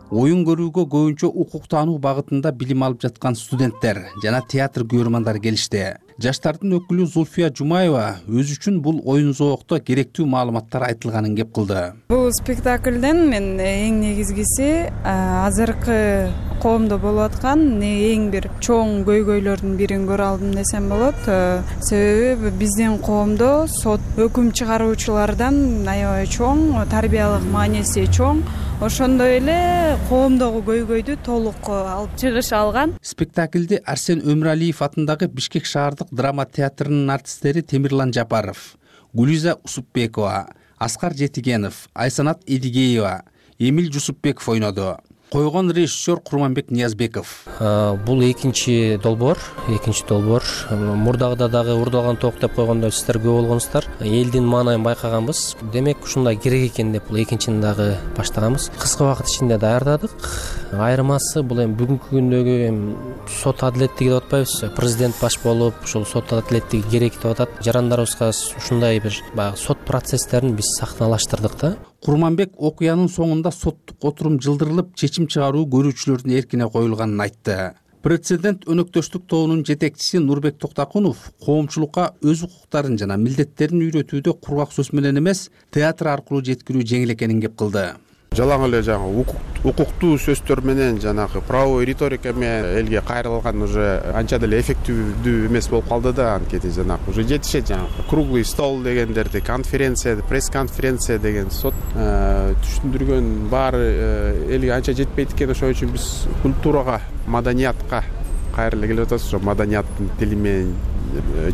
S20: Оюн көрүүгө көбүнчө укук таануу багытында билим алып жаткан студенттер жана театр көрөрмандары келишти. Жаштардын өкүлү Зульфия Жумаева өзү үчүн бул оюн зоокто керектүү маалыматтар айтылганын кеп кылды.
S22: Бул спектаклден мен эң негизгиси азыркы коомдо болуп аткан эң бир чоң көйгөйлөрдүн бирин көрө алдым десем болот. Себеби биздин коомдо сот өкүм чыгаруучулардан аябай чоң, тарбиялык мааниси чоң. Ошондой эле коомдогу көйгөйдү толук алып чыгыша алган.
S20: Спектаклде Арсен Өмүралиев атындагы Бишкек шаардык драма театрынын артисттери Темирлан Жапаров, Гулиза Усупбекова, Аскар Жетигенов, Айсанат Эдигеева, Эмил Жусупбеков ойноду. Койгон режиссер Курманбек Ниязбеков.
S3: Бул экинчи долбоор, экинчи долбоор. Мурдагыда дагы урдалган ток деп койгондо сиздер көп болгонсуздар. Элдин маанайын байкаганбыз. Демек ушундай керек экен деп бул экинчини дагы баштаганбыз. Кыска убакыт ичинде даярдадык. Айырмасы бул эми бүгүнкү күндөгү эми сот адилеттиги деп атпайбызбы? Президент баш болуп, ушул сот адилеттиги керек деп атат. Жарандарыбызга ушундай бир баягы сот процесстерин биз сахналаштырдык да.
S20: Курманбек окуянын соңунда соттук отурум жылдырылып, чечим чыгаруу көрүүчүлөрдүн эркине коюлганын айтты. Прецедент өнөктөштүк тобунун жетекчиси Нурбек Токтакунов коомчулукка өз укуктарын жана милдеттерин үйрөтүүдө кургак сөз менен эмес, театр аркылуу жеткирүү жеңил экенин кеп кылды.
S23: Жалаң эле жаңы укуктуу сөздөр менен жанагы правовой риторика менен элге кайрылган уже анча деле эффективдүү эмес болуп калды да, анткени жанагы уже жетишет жанагы круглый стол дегендерди, конференция, пресс-конференция деген сот түшүндүргөн баары элге анча жетпейт экен. Ошон үчүн биз культурага, маданиятка кайра эле келип атабыз. Ошо маданияттын тили менен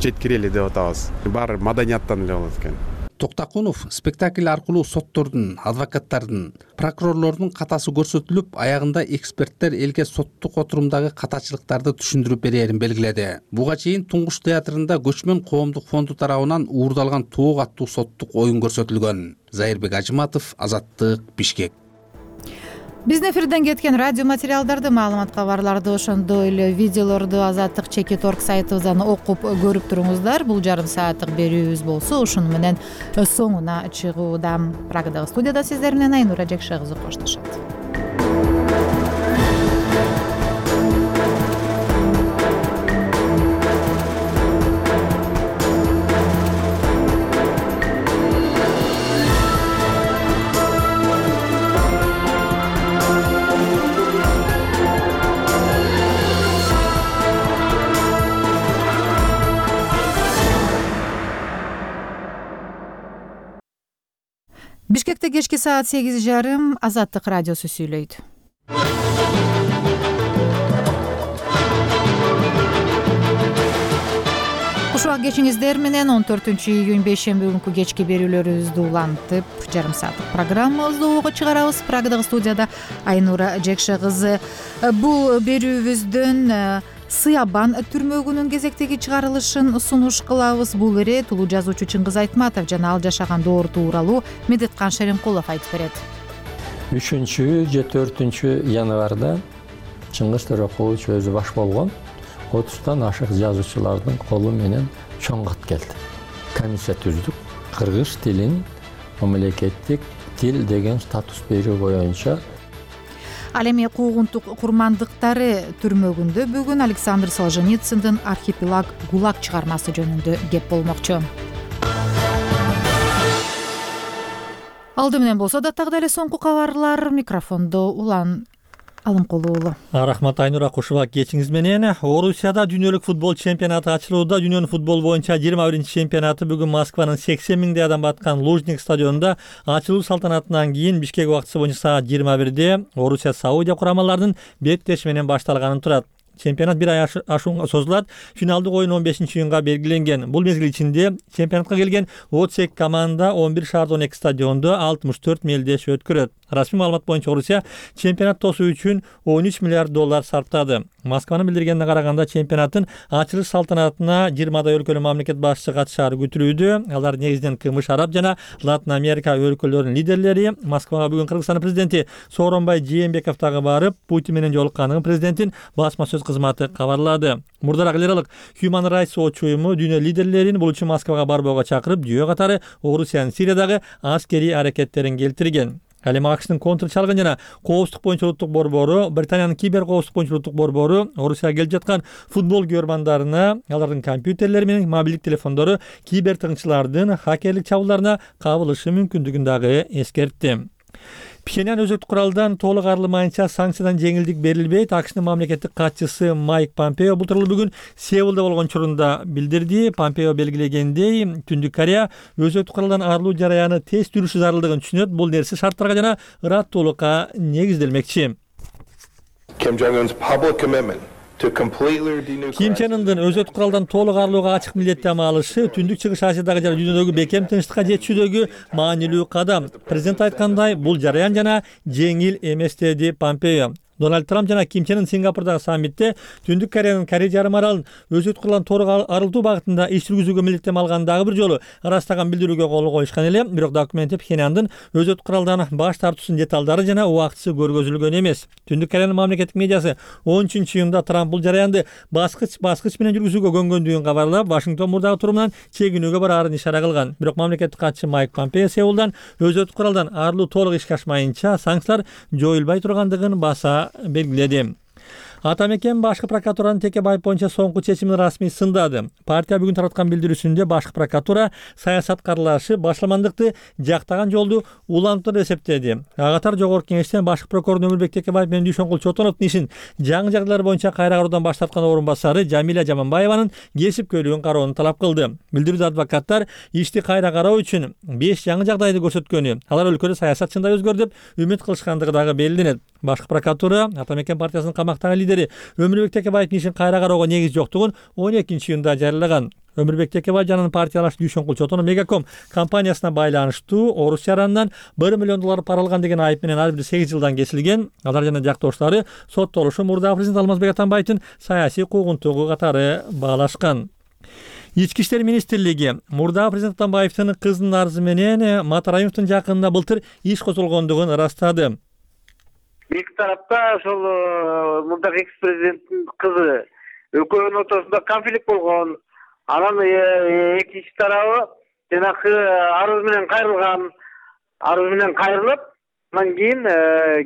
S23: жеткирели деп атабыз. Баары маданияттан эле болот экен.
S20: Токтакунов спектакль аркылуу соттордун, адвокаттардын, прокурорлордун катасы көрсөтүлүп, аягында эксперттер элге соттук отурумдагы катачылыктарды түшүндүрүп берерин белгиледи. Буга чейин Туңгуч театрында Көчмөн коомдук фонду тарабынан уурдалган тоок аттуу соттук оюн көрсөтүлгөн. Зайырбек Ажиматов, Азаттык, Бишкек.
S1: биздин эфирден кеткен радио материалдарды, маалымат, кабарларды, ошондой эле видеолорду азаттык чекит точка орг сайтыбыздан окуп көрүп туруңуздар. Бул жарым сааттык берүүбүз болсо ушуну менен соңуна чыгууда. Прагадагы студияда сиздер менен Айнура Жекше кызы коштошот. Бишкекте кечки саат сегиз жарым Азаттык радиосу сүйлөйт. Ушуга кечиңиздер менен он төртүнчү июнь бейшемби күнкү кечки берүүлөрүбүздү улантып, жарым сааттык программабызды ого чыгарабыз. Прагадагы студияда Айнура Жекше кызы. Бул берүүбүздөн Сыябан түрмөгүнүн кезектеги чыгарылышын сунуш кылабыз. Бул эре тулуу жазуучу Чыңгыз Айтматов жана ал жашаган доор тууралуу Медеткан Шеремкулов айтып берет.
S4: үчүнчү же төртүнчү январда Чыңгыз Төрөкулович өзү баш болгон отуздан ашык жазуучулардын колу менен чоң кат келди. Комиссия түздүк. Кыргыз тилин мамлекеттик тил деген статус берүү боюнча.
S1: Ал эми куугунтук курмандыктары түрмөгүндө бүгүн Александр Солженицындын Архипелаг ГУЛАГ чыгармасы жөнүндө кеп болмокчу. Алды менен болсо даттагы эле соңку кабарлар. Микрофондо Улан Алымкулуу уулу.
S15: Рахмат Айнура, кушуба кечиңиз менен. Орусияда дүйнөлүк футбол чемпионаты ачылууда. Дүйнөнүн футбол боюнча жыйырма биринчи чемпионаты бүгүн Москванын сексен миңдей адам баткан Лужник стадионунда ачылуу салтанатынан кийин Бишкек убактысы боюнча саат жыйырма бирде Орусия Саудия курамаларынын беттеши менен башталганын турат. Чемпионат бир ай ашууга созулат. Финалдык оюн он бешинчи июнга белгиленген. Бул мезгил ичинде чемпионатка келген отуз эки команда он бир шаарда он эки стадиондо алтымыш төрт мелдеш өткөрөт. Расмий маалымат боюнча Орусия чемпионат тосуу үчүн он үч миллиард доллар сарптады. Москванын билдиргенине караганда чемпионаттын ачылыш салтанатына жыйырмадай өлкөнүн мамлекет башчысы катышаары күтүлүүдө. Алар негизинен КМШ, Араб жана Латын Америка өлкөлөрүнүн лидерлери. Москвага бүгүн Кыргызстандын президенти Сооронбай Жээнбеков дагы барып, Путин менен жолукканын президенттин басма сөз кызматы кабарлады. Мурдараак эл аралык Human Rights Watch уюму дүйнө лидерлерин бул үчүн Москвага барбоого чакырып, жүйө катары Орусиянын Сириядагы аскерий аракеттерин келтирген. Ал эми АКШтын контр чалгын жана коопсуздук боюнча улуттук борбору, Британиянын кибер коопсуздук боюнча улуттук борбору Орусияга келип жаткан футбол көрмандарына, алардын компьютерлери менен мобилдик телефондору кибер тыңчылардын хакерлик чабуулдарына кабылышы мүмкүндүгүн дагы эскертти. Пхеньян өзөктүк куралдан толук арылмайынча санкциядан жеңилдик берилбейт. АКШнын мамлекеттик катчысы Майк Помпео бул тууралуу бүгүн Сеулда болгон учурунда билдирди. Помпео белгилегендей, Түндүк Корея өзөктүк куралдан арылуу жараяны тез жүрүшү зарылдыгын түшүнөт. Бул нерсе шарттарга жана ыраттуулукка негизделмекчи.
S5: Kim Jong-un's public commitment
S15: Ким Чен Ындын өзөктүк куралдан толук арылууга ачык милдеттенме алышы Түндүк Чыгыш Азиядагы жана дүйнөдөгү бекем тынчтыкка жетүүдөгү маанилүү кадам. Президент айткандай, бул жараян жана жеңил эмес, деди Помпео. Дональд Трамп жана Ким Чен Ын Сингапурдагы саммитте Түндүк Кореянын Корей жарым аралын өзөктүк куралдан толук арылтуу багытында иш жүргүзүүгө милдеттенме алган дагы бир жолу ырастаган билдирүүгө кол коюшкан эле. Бирок документте Пхеньяндын өзөктүк куралдан баш тартуусунун деталдары жана убактысы көргөзүлгөн эмес. Түндүк Кореянын мамлекеттик медиасы он үчүнчү июнда Трамп бул жараянды баскыч баскыч менен жүргүзүүгө көнгөндүгүн кабарлап, Вашингтон мурдагы турумунан чегинүүгө бараарын ишара кылган. Бирок мамлекеттик катчы Майк Помпео Сеулдан өзөктүк куралдан арылуу толук ишке ашмайынча санкциялар жоюлбай тургандыгын баса белгиледи. Атамекен башкы прокуратуранын Текебаев боюнча соңку чечимин расмий сындады. Партия бүгүн тараткан билдирүүсүндө башкы прокуратура саясат каралашы башламандыкты жактаган жолду улантып эсептеди. Ага катар жогорку кеңештен башкы прокурор Өмүрбек Текебаев менен Дүйшөнкул Чотоновдун ишин жаңы жагдайлар боюнча кайра кароодан баш тарткан орун басары Жамиля Жаманбаеванын кесипкөйлүгүн кароону талап кылды. Билдирүүдө адвокаттар ишти кайра кароо үчүн беш жаңы жагдайды көрсөткөнү, алар өлкөдө саясат чындай өзгөрдү деп үмүт кылышкандыгы дагы белгиленет. Башкы прокуратура Атамекен партиясынын камактагы лидери Өмүрбек Текебаевдин ишин кайра кароого негиз жоктугун он экинчи июнда жарыялаган. Өмүрбек Текебаев жанын партиялаш Дүйшөнкул Чотонов Мегаком компаниясына байланыштуу Орус жаранынан бир миллион доллар пара алган деген айып менен ар бир сегиз жылдан кесилген. Алар жана жактоштары соттолушу мурдагы президент Алмазбек Атамбаевдин саясий куугунтугу катары баалашкан. Ички иштер министрлиги мурдагы президент Атамбаевдин кызынын арызы менен Матараимовдун жакынында былтыр иш козголгондугун ырастады.
S10: эки тарапта ошол мындак экс президенттин кызы экөөнүн ортосунда конфликт болгон. Анан экинчи тарабы жанагы арыз менен кайрылган, арыз менен кайрылып, андан кийин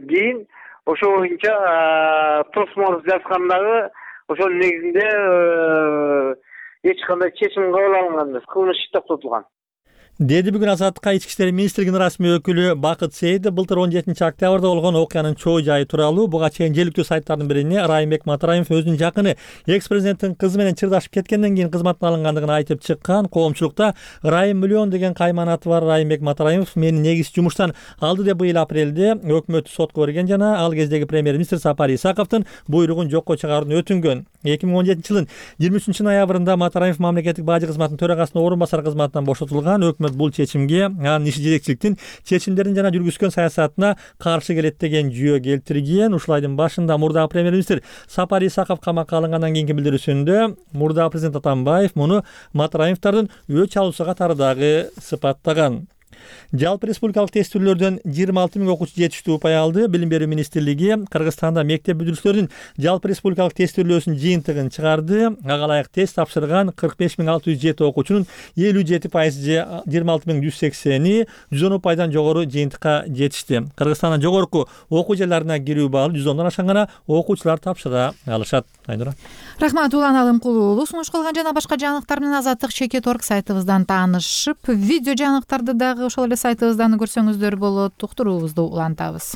S10: кийин ошо боюнча тосмор жазгандагы ошонун негизинде эч кандай чечим кабыл алынган эмес, кылмыш иш токтотулган
S6: деди бүгүн Азаттыкка ички иштер министрлигинин расмий өкүлү Бакыт Сейитов. Былтыр он жетинчи октябрда болгон окуянын чоо жайы тууралуу буга чейин желиктүү сайттардын бирине Райымбек Матараев өзүнүн жакыны экс президенттин кызы менен чырдашып кеткенден кийин кызматтан алынгандыгын айтып чыккан. Коомчулукта Райым миллион деген кайманаты бар Райымбек Матараев мени негиз жумуштан алды деп быйыл апрелде өкмөт сотко берген жана ал кездеги премьер-министр Сапар Исаковдун буйругун жокко чыгаруун өтүнгөн. эки миң он жетинчи жылдын жыйырма үчүнчү ноябрында Матараев мамлекеттик бажы кызматынын төрагасынын орун басары кызматынан бошотулган. Өкмөт бул чечимге анын иши жетекчиликтин чечимдерин жана жүргүзгөн саясатына каршы келет деген жүйө келтирген. Ушул айдын башында мурдагы премьер-министр Сапар Исаков камакка алынгандан кийинки билдирүүсүндө мурдагы президент Атамбаев муну Матараевдин өч алуусу катары дагы сыпаттаган. Жалпы республикалык тестүүлөрдөн жыйырма алты миң окуучу жетиштүү упай алды. Билим берүү министрлиги Кыргызстанда мектеп бүтүрүүчүлөрдүн жалпы республикалык тестүүлөөсүнүн жыйынтыгын чыгарды. Ага ылайык тест тапшырган кырк беш миң алты жүз жети окуучунун элүү жети пайызы же жыйырма алты миң жүз сексени жүз он упайдан жогору жыйынтыкка жетишти. Кыргызстандын жогорку окуу жайларына кирүү баалы жүз ондон ашкан гана окуучулар тапшыра алышат. Айнура.
S1: Рахмат Улан Алымкулуу. Сунуш кылган жана башка жаңылыктар менен Азаттык чекит точка орг сайтыбыздан таанышып, видео жаңылыктарды дагы ошол эле сайтыбыздан көрсөңүздөр болот. Уктуруубузду улантабыз.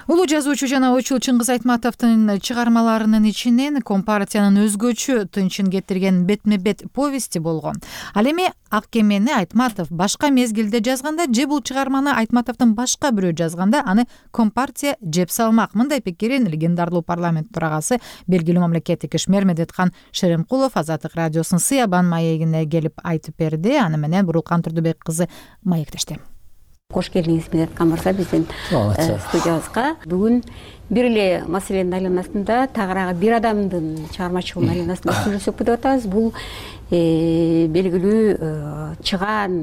S1: Улуу жазуучу жана ойчул Чыңгыз Айтматовдун чыгармаларынын ичинен Компартиянын өзгөчө тынчын кетирген бетме-бет повести болгон. Ал эми Ак кемени Айтматов башка мезгилде жазганда же бул чыгарманы Айтматовдун башка бирөө жазганда аны Компартия жеп салмак. Мындай пикирин легендарлуу парламент төрагасы белгилүү мамлекеттик ишмер Медеткан Шеремкулов Азаттык радиосунун Сыябан маегине келип айтып берди. Аны менен Бурулкан Турдубек кызы маектешти.
S8: Кош келдиңиз Медеткан мырза биздин студиябызга. Бүгүн бир эле маселенин айланасында тагыраагы бир адамдын чыгармачылыгынын айланасында сүйлөшөк деп атабыз. Бул белгилүү чыгаан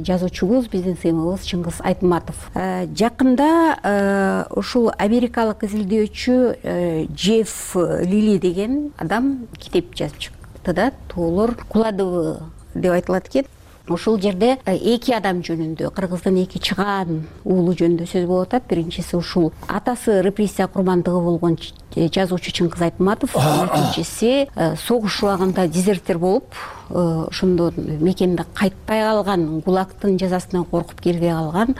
S8: жазуучубуз, биздин сыймыбыз Чыңгыз Айтматов. Жакында ушул америкалык изилдөөчү Джефф Лили деген адам китеп жазып чыкты да, Тоолор куладыбы деп айтылат экен. Ушул жерде эки адам жөнүндө, Кыргыздын эки чыгаан уулу жөнүндө сөз болуп атат. Биринчиси ушул атасы репрессия курмандыгы болгон жазуучу Чыңгыз Айтматов, экинчиси согуш убагында дезертир болуп, ошондо мекенде кайтпай калган, ГУЛАГтын жазасынан коркуп кирбей калган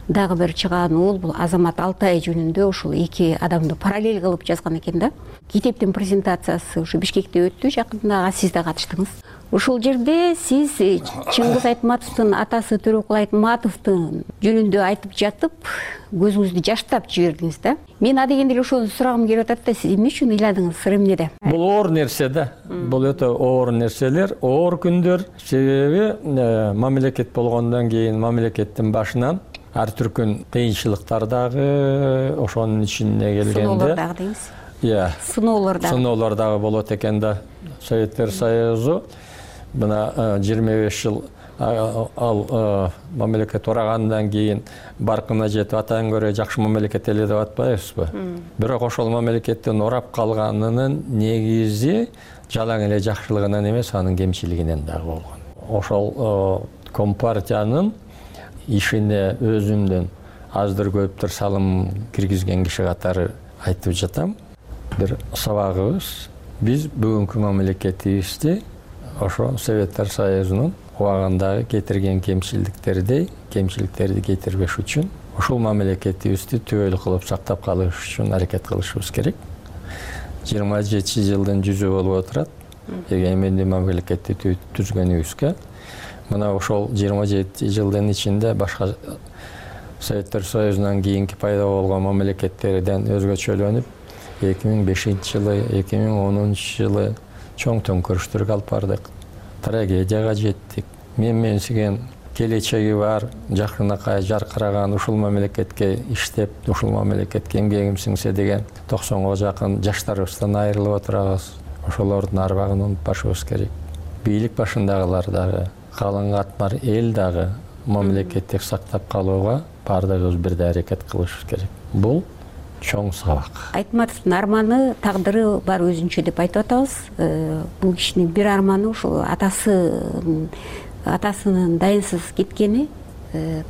S8: дагы бир чыгаан уул, бул Азамат Алтай жөнүндө ушул эки адамды параллель кылып жазган экен да. Китептин презентациясы ушу Бишкекте өттү, жакында сиз да катыштыңыз. Ушул жерде сиз Чыңгыз Айтматовдун атасы Төрөкул Айтматовдун жөнүндө айтып жатып, көзүңүздү жаштап жибердиңиз да. Мен адегенде эле ошону сурагым келип атат да, сиз эмне үчүн ыйладыңыз, сыр эмнеде?
S4: Бул оор нерсе да. Бул өтө оор нерселер, оор күндөр. Себеби мамлекет болгондон кийин мамлекеттин башынан ар түркүн кыйынчылыктар дагы ошонун ичине келгенде.
S8: Сыноолор дагы дейсиз?
S4: Иә.
S8: Сыноолор дагы.
S4: Сыноолор дагы болот экен да. Советтер Союзу мына жыйырма беш жыл ал мамлекет урагандан кийин баркына жетип атан көрө жакшы мамлекет эле деп атпайбызбы? Бирок ошол мамлекеттин урап калганынын негизи жалаң эле жакшылыгынан эмес, анын кемчилигинен дагы болгон. Ошол Компартиянын ишине өзүмдүн аздыр көптүр салым киргизген киши катары айтып жатам. Бир сабагыбыз, биз бүгүнкү мамлекетибизди ошо Советтер Союзунун убагындагы кетирген кемчилдиктердей кемчиликтерди кетирбеш үчүн ушул мамлекетибизди түбөлүк кылып сактап калыш үчүн аракет кылышыбыз керек. жыйырма жети жылдын жүзү болуп отурат эгемендүү мамлекетти түзгөнүбүзгө. Мына ошол жыйырма жети жылдын ичинде башка Советтер Союзунан кийинки пайда болгон мамлекеттерден өзгөчөлөнүп, эки миң бешинчи жылы, эки миң онунчу жылы чоң төңкөрүштөргө алып бардык. Трагедияга жеттик. Мен менсиген келечеги бар, жакынакай жаркыраган ушул мамлекетке иштеп, ушул мамлекетке эмгегим сиңсе деген токсонго жакын жаштарыбыздан айрылып отурабыз. Ошолордун арбагын унутпашыбыз керек. бийлик башындагылар дагы, калың катмар эл дагы мамлекеттик сактап калууга баардыгыбыз бирдей аракет кылышыбыз керек. Бул чоң сабак.
S8: Айтматовдун арманы, тагдыры бар өзүнчө деп айтып атабыз. Бул кишинин бир арманы ушул атасы атасынын дайынсыз кеткени,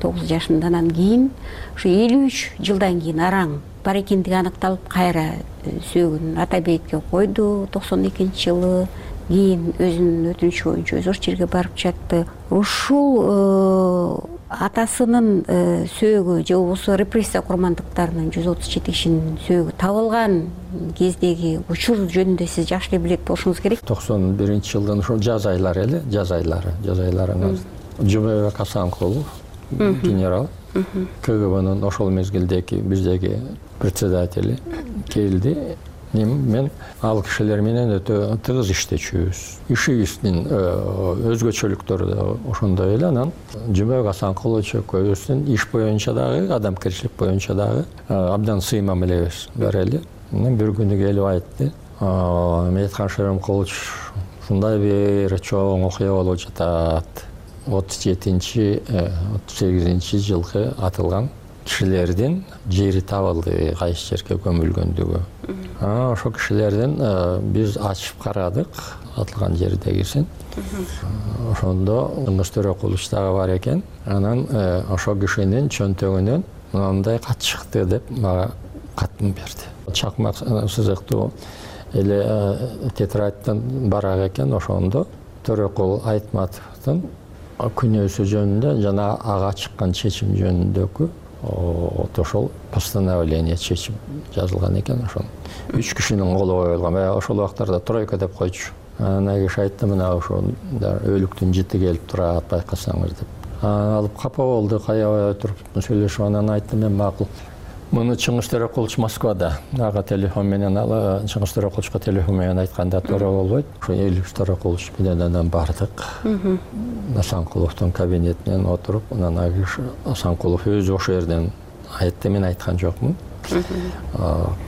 S8: тогуз жашындан кийин, ушу элүү үч жылдан кийин араң бар экендиги аныкталып, кайра сөөгүн ата бейитке койду токсон экинчи жылы. Кийин өзүнүн өтүнүчү боюнча өзү ошол жерге барып жатты. Ушул атасынын сөөгү же болбосо репрессия курмандыктарынын жүз отуз жети кишинин сөөгү табылган кездеги учур жөнүндө сиз жакшы эле билет болушуңуз керек.
S4: токсон биринчи жылдын ушул жаз айлары эле, жаз айлары, жаз айларында Жумабек Асанкулов генерал К Г Бнын ошол мезгилдеги биздеги председатели келди. Мен ал кишилер менен өтө тыгыз иштечүбүз. Ишибиздин өзгөчөлүктөрү да ошондой эле. Анан Жумабек Асанкулович экөөбүздүн иш боюнча дагы, адамгерчилик боюнча дагы абдан сыймам элебиз бар эле. Мен бир күнү келип айтты: Медеткан Шеремкулович, ушундай бир чоң окуя болуп жатат. отуз жетинчи отуз сегизинчи жылкы атылган кишилердин жери табылды, кайсы жерге көмүлгөндүгү. Ошол кишилердин биз ачып карадык, атылган жердегисин. Ошондо Чыңгыз Төрөкулович дагы бар экен. Анан ошол кишинин чөнтөгүнөн мындай кат чыкты деп мага катын берди. Чакмак сызыктуу эле тетрадьтан барак экен. Ошондо Төрөкул Айтматовдун күнөөсү жөнүндө жана ага чыккан чечим жөнүндөгү ошол постановление чечим жазылган экен. Ошол үч кишинин колу коюлган. Ошол убактарда тройка деп койчу. Ана киши айтты: мына ошол өлүктүн жити келип турат, байкасаңыз деп. Алып капа болду, каябай отуруп сүйлөшүп, анан айтты: мен макул. Муну Чыңгыз Төрөкулович Москвада, ага телефон менен ала, Чыңгыз Төрөкуловичка телефон менен айтканда туура болбойт. Ошо Элюс Төрөкулович менен анан бардык. Асанкуловдун кабинетинен отуруп, анан Асанкулов өзү ошол жерден айтты, мен айткан жокмун.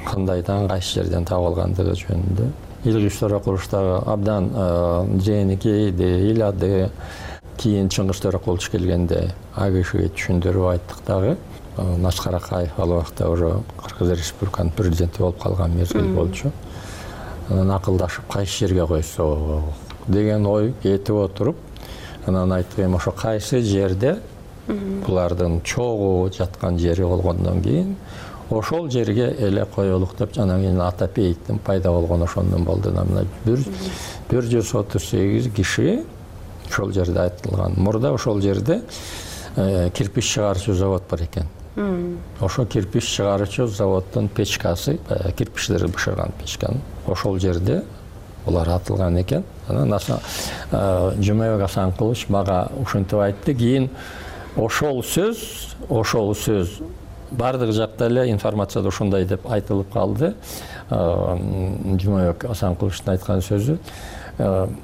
S4: Кандайдан, кайсы жерден табылгандыгы жөнүндө. Элюс Төрөкулович дагы абдан жээнни кейди, ыйлады. Кийин Чыңгыз Төрөкулович келгенде ал кишиге түшүндүрүп айттык дагы. Наскар Акаев ал убакта уже Кыргыз Республиканын президенти болуп калган мезгил болчу. Анан акылдашып кайсы жерге койсок деген ой кетип отуруп, анан айттым: ошо кайсы жерде булардын чогуу жаткан жери болгондон кийин ошол жерге эле коелук деп, анан кийин ата бейиттин пайда болгону ошондон болду. Мына бир жүз отуз сегиз киши ошол жерде айтылган. Мурда ошол жерде кирпич чыгарчу завод бар экен. Ошо кирпич чыгарчу заводдун печкасы, кирпичтерди бышырган печканы ошол жерде булар атылган экен. Анан Жумабек Асанкулович мага ушинтип айтты. Кийин ошол сөз, ошол сөз бардык жакта эле информацияда ушундай деп айтылып калды. Жумабек Асанкуловичтун айткан сөзү.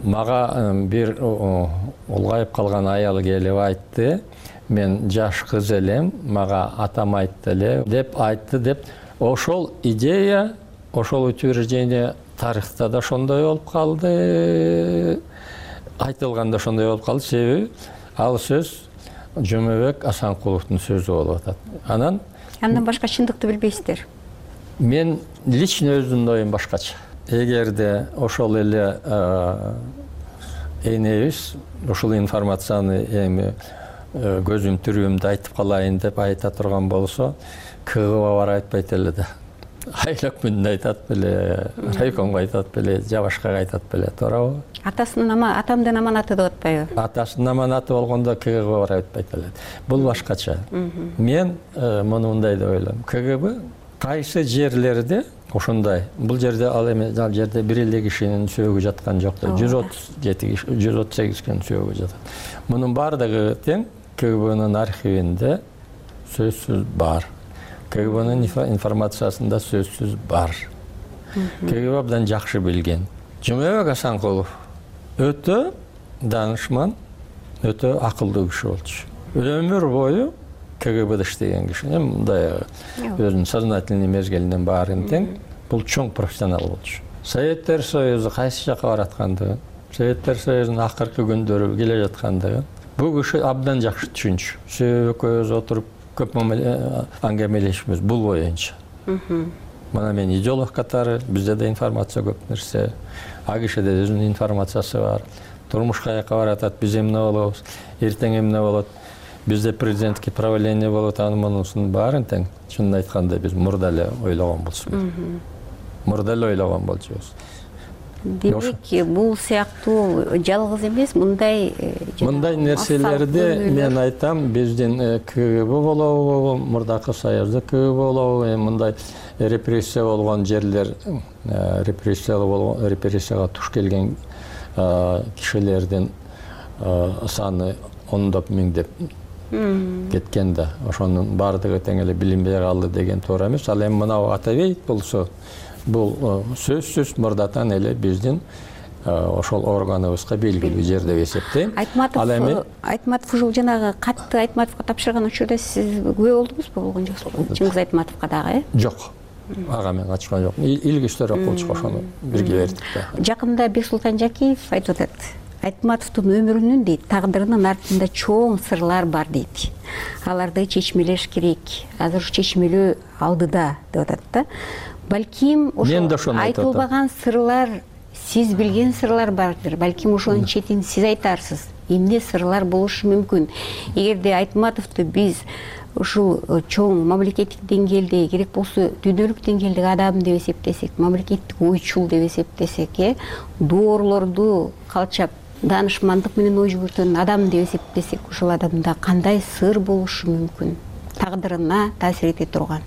S4: Мага бир улгайып калган аял келип айтты: мен жаш кыз элем, мага атам айтты эле деп айтты деп. Ошол идея, ошол утверждение тарыхта да ошондой болуп калды, айтылганда ошондой болуп калды. Себеби ал сөз Жумабек Асанкуловдун сөзү болуп атат. Анан
S8: андан башка чындыкты билбейсиздер.
S4: Мен лично өзүмдүн оюм башкача. Эгерде ошол эле энебиз ошол информацияны эми көзүм түрүмдө айтып калайын деп айта турган болсо, К Г Б бар айтпайт эле да. Айлык мүнүн айтат беле, райкомго айтат беле, же башкага айтат беле, туурабы?
S8: Атасынын ама атамдын аманаты деп атпайбы?
S4: Атасынын аманаты болгондо К Г Б бар айтпайт эле. Бул башкача. Мен муну мындай деп ойлойм. К Г Б кайсы жерлерде ошондой, бул жерде ал эми ал жерде бир эле кишинин сөөгү жаткан жок да, жүз отуз жети киши, жүз отуз сегиз кишинин сөөгү жатат. Мунун бардыгы тең К Г Бнын архивинде сөзсүз бар. К Г Бнын информациясында сөзсүз бар. К Г Б абдан жакшы билген. Жумабек Асанкулов өтө данышман, өтө акылдуу киши болчу. Өмүр бою К Г Бда иштеген киши. Мындай өзүнүн сознательный мезгилинен баарын тең бул чоң профессионал болчу. Советтер Союзу кайсы жака баратканды Советтер Союзунун акыркы күндөрү келе жаткандыгы бул киши абдан жакшы түшүнчү. Себеби экөөбүз отуруп көп аңгемелешибиз бул боюнча. Мына мен идеолог катары, бизде да информация көп нерсе, а кишиде өзүнүн информациясы бар. Турмуш каяка баратат, биз эмне болобуз, эртең эмне болот, бизде президенттик правление болот, анын мунусунун баарын тең чынын айтканда биз мурда эле ойлогон болчубуз. Мурда эле ойлогон болчубуз.
S8: Демек, бул сыяктуу жалгыз эмес, мындай
S4: мындай нерселерди мен айтам, биздин КГБ болобу, мурдакы Союзда КГБ болобу, мындай репрессия болгон жерлер, репрессия болгон репрессияга туш келген кишилердин саны ондоп миңдеп кеткен да. Ошонун баардыгы тең эле билинбей калды деген туура эмес. Ал эми мына Атабеев болсо, бул сөзсүз мурдатан эле биздин ошол органыбызга белгилүү жер деп эсептейм.
S8: Айтматов Айтматов ушул жанагы катты Айтматовго тапшырган учурда сиз күбө болдуңузбу болгон жоксузбу? Чыңгыз Айтматовго дагы, э?
S4: Жок. Ага мен катышкан жок. Илгичтер окуучу ошону бирге бердик да.
S8: Жакында Бексултан Жакиев айтып атат. Айтматовдун өмүрүнүн дейт, тагдырынын артында чоң сырлар бар дейт. Аларды чечмелеш керек. Азыр ушу чечмелөө алдыда деп атат да. Балким ошо айтылбаган сырлар, сиз билген сырлар бардыр. Балким ошонун четин сиз айтарсыз. Эмне сырлар болушу мүмкүн? Эгерде Айтматовду биз ушул чоң мамлекеттик деңгээлде, керек болсо дүйнөлүк деңгээлдеги адам деп эсептесек, мамлекеттик ойчул деп эсептесек, э, доорлорду калчап, данышмандык менен ой жүгүртөн адам деп эсептесек, ушул адамда кандай сыр болушу мүмкүн? Тагдырына таасир эте турган.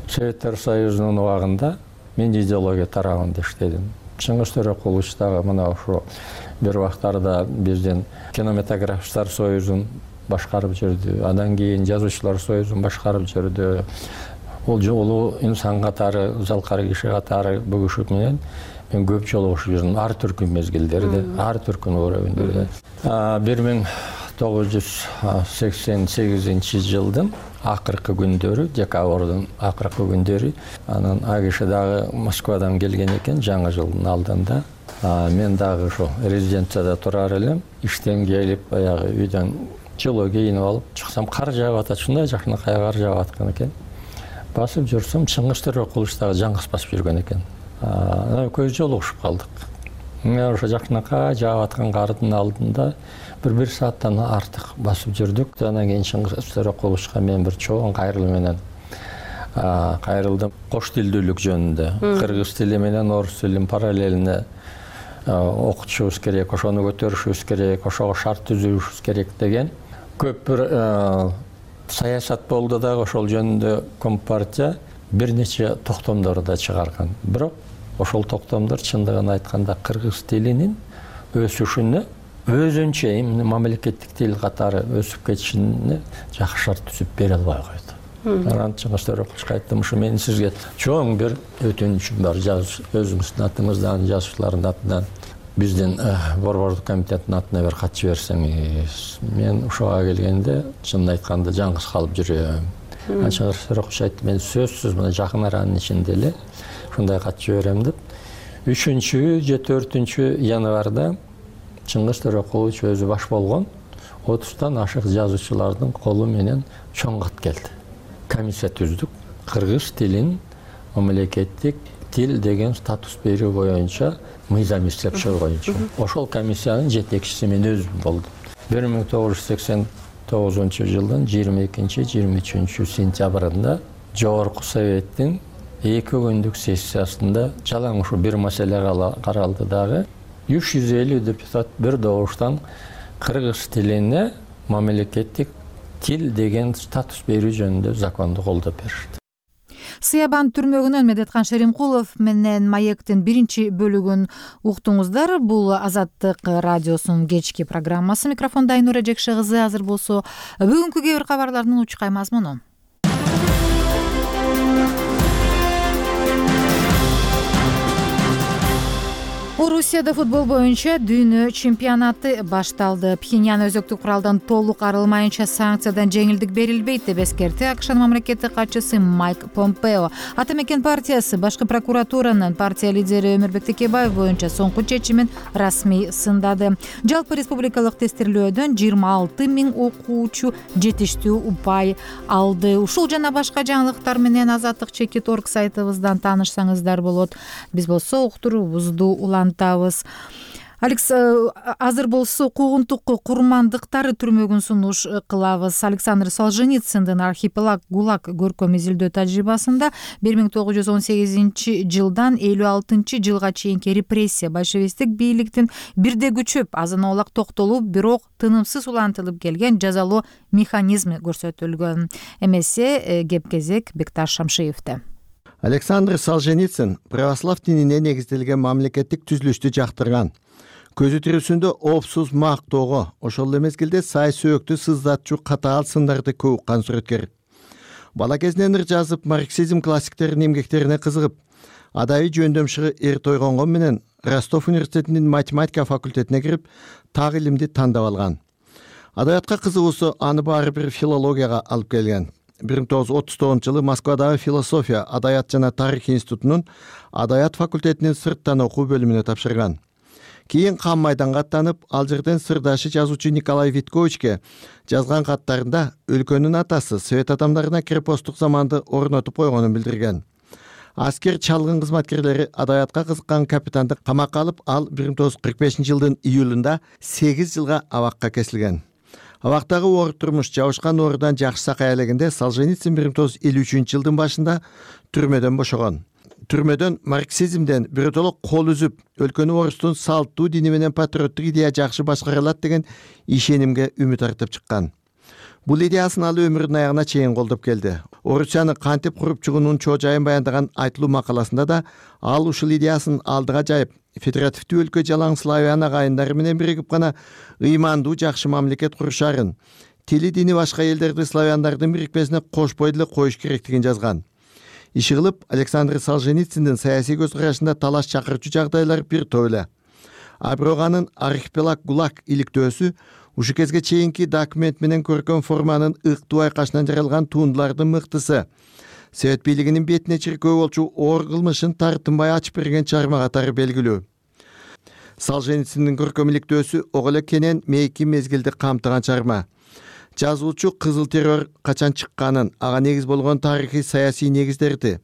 S4: Советтер Союзунун убагында мен идеология тарабында иштедим. Чыңгыз Төрөкулович дагы мына ошо бир убактарда биздин кинематографисттер союзун башкарып жүрдү. Андан кийин жазуучулар союзун башкарып жүрдү. Ол жолу инсан катары, залкар киши катары бул киши менен мен көп жолугушуп жүрдүм. Ар түркүн мезгилдерде, ар түркүн уровеньдерде. бир миң тогуз жүз сексен сегизинчи жылдын акыркы күндөрү, декабрдын акыркы күндөрү, анан а киши дагы Москвадан келген экен жаңы жылдын алдында. Мен дагы ошо резиденцияда турар элем. Иштен келип, баягы үйдөн жылуу кийинип алып чыксам, кар жаап атат. Ушундай жакынакай кар жаап аткан экен. Басып жүрсөм, Чыңгыз Төрөкулович дагы жаңгыз басып жүргөн экен. Көз жолугушуп калдык. Мен ошо жакынакай жаап аткан кардын алдында бир бир сааттан артык басып жүрдүк. Андан кийин Чыңгыз Төрөкуловичка мен бир чоң кайрылуу менен кайрылдым. Кош тилдүүлүк жөнүндө. Кыргыз тили менен орус тилин параллелине окутушубуз керек, ошону көтөрүшүбүз керек, ошого шарт түзүшүбүз керек деген көп бир саясат болду дагы. Ошол жөнүндө Компартия бир нече токтомдор да чыгарган. Бирок ошол токтомдор чындыгын айтканда кыргыз тилинин өсүшүнө өзүнчө мамлекеттик тил катары өсүп кетишине жакшы шарт түзүп бере албай койду. Анан Чыңгыз Төрөкуловичка айттым, ушу мен сизге чоң бир өтүнүчүм бар, өзүңүздүн атыңыздан, жазуучулардын атынан, биздин борбордук комитеттин атына бир кат жиберсеңиз. Мен ушуга келгенде чынын айтканда жаңгыз калып жүрөм. Чыңгыз Төрөкулович айтты, мен сөзсүз мына жакын аранын ичинде эле ушундай кат жиберем деп. үчүнчү же төртүнчү январда Чыңгыз Төрөкулович өзү баш болгон отуздан ашык жазуучулардын колу менен чоң кат келди. Комиссия түздүк. Кыргыз тилин мамлекеттик тил деген статус берүү боюнча мыйзам иштеп чыгуу боюнча. Ошол комиссиянын жетекчиси мен өзүм болдум. бир миң тогуз жүз сексен тогузунчу жылдын жыйырма экинчи жыйырма үчүнчү сентябрында Жогорку Советтин эки күндүк сессиясында жалаң ушу бир маселе каралды дагы. үч жүз элүү депутат бир добуштан кыргыз тилине мамлекеттик тил деген статус берүү жөнүндө законду колдоп беришти.
S1: Сыябан түрмөгүнөн Медеткан Шеримкулов менен Маектин биринчи бөлүгүн уктуңуздар. Бул Азаттык радиосунун кечки программасы. Микрофондо Айнура Жекше кызы. Азыр болсо бүгүнкү кээ бир кабарлардын учкай мазмуну. Орусияда футбол боюнча дүйнө чемпионаты башталды. Пхеньян өзөктүк куралдан толук арылмайынча санкциядан жеңилдик берилбейт деп эскертти АКШнын мамлекеттик катчысы Майк Помпео. Ата мекен партиясы башкы прокуратуранын партия лидери Өмүрбек Текебаев боюнча соңку чечимин расмий сындады. Жалпы республикалык тестирлөөдөн жыйырма алты миң окуучу жетиштүү упай алды. Ушул жана башка жаңылыктар менен азаттык чекит орг сайтыбыздан таанышсаңыздар болот. Биз болсо уктуруубузду улантабыз. Алекс, азыр болсо куугунтук курмандыктары түрмөгүн сунуш кылабыз. Александр Солженицындын «Архипелаг ГУЛАГ» көркөм изилдөө тажрыйбасында бир миң тогуз жүз он сегизинчи жылдан элүү алтынчы жылга чейинки репрессия большевисттик бийликтин бирде күчөп, азын-аулак токтолуп, бирок тынымсыз улантылып келген жазалоо механизми көрсөтүлгөн. Эмесе кеп кезек Бекташ Шамшиевде.
S7: Александр Солженицын православ динине негизделген мамлекеттик түзүлүштү жактырган. Көзү тирүүсүндө опсуз мактоого, ошол эле мезгилде сай сөөктү сыздатчу катаал сындарды көп уккан сүрөткер. Бала кезинен ыр жазып, марксизм классиктеринин эмгектерине кызыгып, адайы жөндөмшыгы эрте ойгонгон менен Ростов университетинин математика факультетине кирип, так илимди тандап алган. Адабиятка кызыгуусу аны баары бир филологияга алып келген. бир миң тогуз жүз отуз тогузунчу жылы Москвадагы философия, адабият жана тарих институтунун адабият факультетинин сырттан окуу бөлүмүнө тапшырган. Кийин кам майданга аттанып, ал жерден сырдашы жазуучу Николай Витковичке жазган каттарында өлкөнүн атасы совет адамдарына крепосттук заманды орнотуп койгонун билдирген. Аскер чалгын кызматкерлери адабиятка кызыккан капитанды камакка алып, ал бир миң тогуз жүз кырк бешинчи жылдын июлунда сегиз жылга абакка кесилген. Абактагы оор турмуш жабышкан оорудан жакшы сакай элегенде Солженицын бир миң тогуз жүз элүү үчүнчү жылдын башында түрмөдөн бошогон. Түрмөдөн марксизмден биротоло кол үзүп, өлкөнү орустун салттуу дини менен патриоттук идея жакшы башкара алат деген ишенимге үмүт артып чыккан. Бул идеясын ал өмүрүнүн аягына чейин колдоп келди. Орусияны кантип куруп чыгуунун чоо жайын баяндаган айтылуу макаласында да ал ушул идеясын алдыга жайып, федеративдүү өлкө жалаң славян агайындары менен биригип гана ыймандуу жакшы мамлекет курушарын, тили дини башка элдерди славяндардын бирикпесине кошпой деле коюш керектигин жазган. Иши кылып, Александр Солженицындын саясий көз карашында талаш чакырчу жагдайлар бир топ эле. А бирок анын «Архипелаг ГУЛАГ» иликтөөсү ушу кезге чейинки документ менен көркөм форманын ыктуу айкашынан жаралган туындулардын мыктысы. Совет бийлигинин бетине чиркөө болчу оор кылмышын тартынбай ачып берген чыгарма катары белгилүү. Солженицындын көркөм иликтөөсү ого эле кенен мейки мезгилди камтыган чыгарма. Жазуучу кызыл террор качан чыкканын, ага негиз болгон тарыхый саясий негиздерди,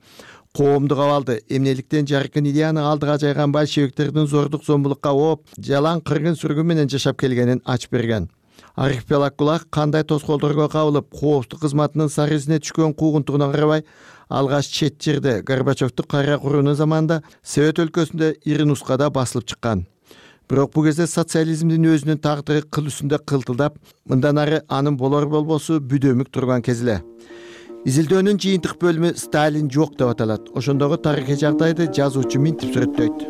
S7: коомдук абалды, эмнеликтен жаркын идеяны алдыга жайган большевиктердин зордук зомбулукка ооп, жалаң кыргын сүргүн менен жашап келгенин ачып берген. «Архипелаг ГУЛАГ» кандай тоскоолдорго кабылып, коопсуздук кызматынын сары изине түшкөн куугунтугуна карабай, алгаш чет жерде Горбачевдук кайра куруунун заманында Совет өлкөсүндө ири нускада басылып чыккан. Бирок бул кезде социализмдин өзүнүн тагдыры кыл үстүндө кылтылдап, мындан ары анын болор болбосу бүдөмүк турган кез эле. Изилдөөнүн жыйынтык бөлүмү «Сталин жок» деп аталат. Ошондогу тарыхый жагдайды жазуучу минтип сүрөттөйт.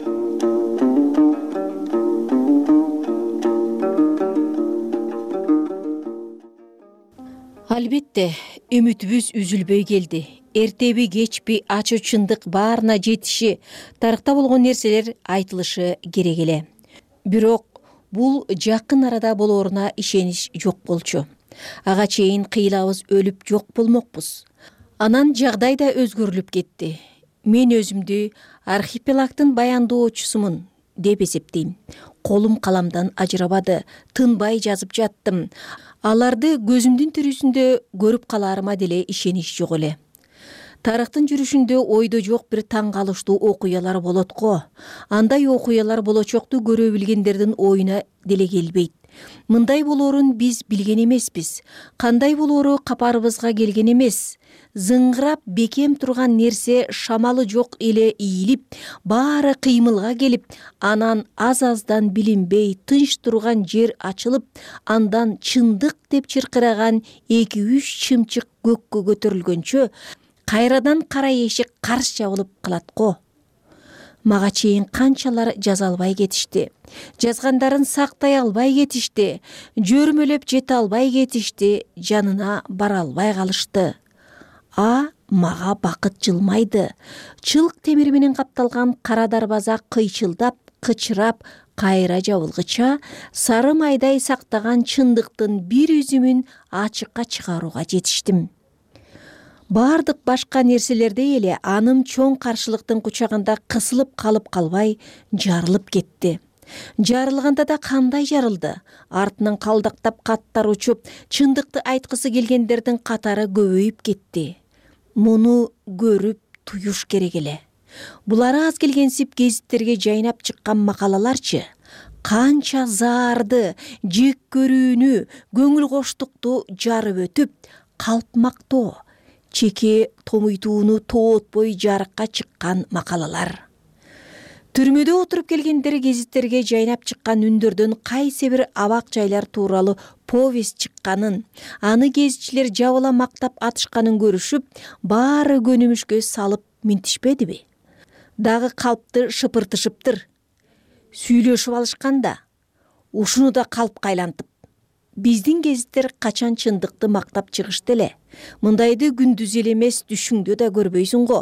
S9: Албетте, үмүтүбүз үзүлбөй келди. Эртеби кечпи ачуу чындык баарына жетиши, тарыхта болгон нерселер айтылышы керек эле. Бирок бул жакын арада болоруна ишенич жок болчу. Ага чейин кыйлабыз өлүп жок болмокпуз. Анан жагдай да өзгөрүлүп кетти. Мен өзүмдү архипелагдын баяндоочусумун деп эсептейм. Колум каламдан ажырабады, тынбай жазып жаттым. Аларды көзүмдүн тирүүсүндө көрүп каларыма деле ишенич жок эле. Тарыхтын жүрүшүндө ойдо жок бир таң калыштуу окуялар болот го. Андай окуялар болочокту көрө билгендердин оюна деле келбейт. Мындай болоорун биз билген эмеспиз. Кандай болоору капарыбызга келген эмес. Зыңгырап бекем турган нерсе шамалы жок эле ийилип, баары кыймылга келип, анан аз-аздан билинбей тынч турган жер ачылып, андан чындык деп чыркыраган эки-үч чымчык көккө көтөрүлгөнчө кайрадан кара эшик карш жабылып калат го. Мага чейин канчалар жаза албай кетишти. Жазгандарын сактай албай кетишти. Жөрмөлөп жете албай кетишти. Жанына бара албай калышты. А мага бакыт жылмайды. Чылк темир менен капталган кара дарбаза кыйчылдап, кычырап кайра жабылгыча сары майдай сактаган чындыктын бир үзүмүн ачыкка чыгарууга жетиштим. Бардык башка нерселердей эле аным чоң каршылыктын кучагында кысылып калып калбай жарылып кетти. Жарылганда да кандай жарылды? Артынан калдактап каттар учуп, чындыкты айткысы келгендердин катары көбөйүп кетти. Муну көрүп туюш керек эле. Булар аз келгенсип гезиттерге жайнап чыккан макалаларчы канча заарды, жек көрүүнү, көңүл коштукту жарып өтүп, калпмактоо, чеке томуйтууну тоотпой жарыкка чыккан макалалар. Түрмөдө отуруп келгендер гезиттерге жайнап чыккан үндөрдөн кайсы бир абак жайлар тууралуу повесть чыкканын, аны гезитчилер жабыла мактап атышканын көрүшүп, баары көнүмүшкө салып минтишпедиби? Дагы калпты шыпыртышыптыр. Сүйлөшүп алышканда, ушуну да калпка айлантып. Биздин гезиттер качан чындыкты мактап чыгышты эле. Мындайды күндүз эле эмес, түшүңдө да көрбөйсүң го.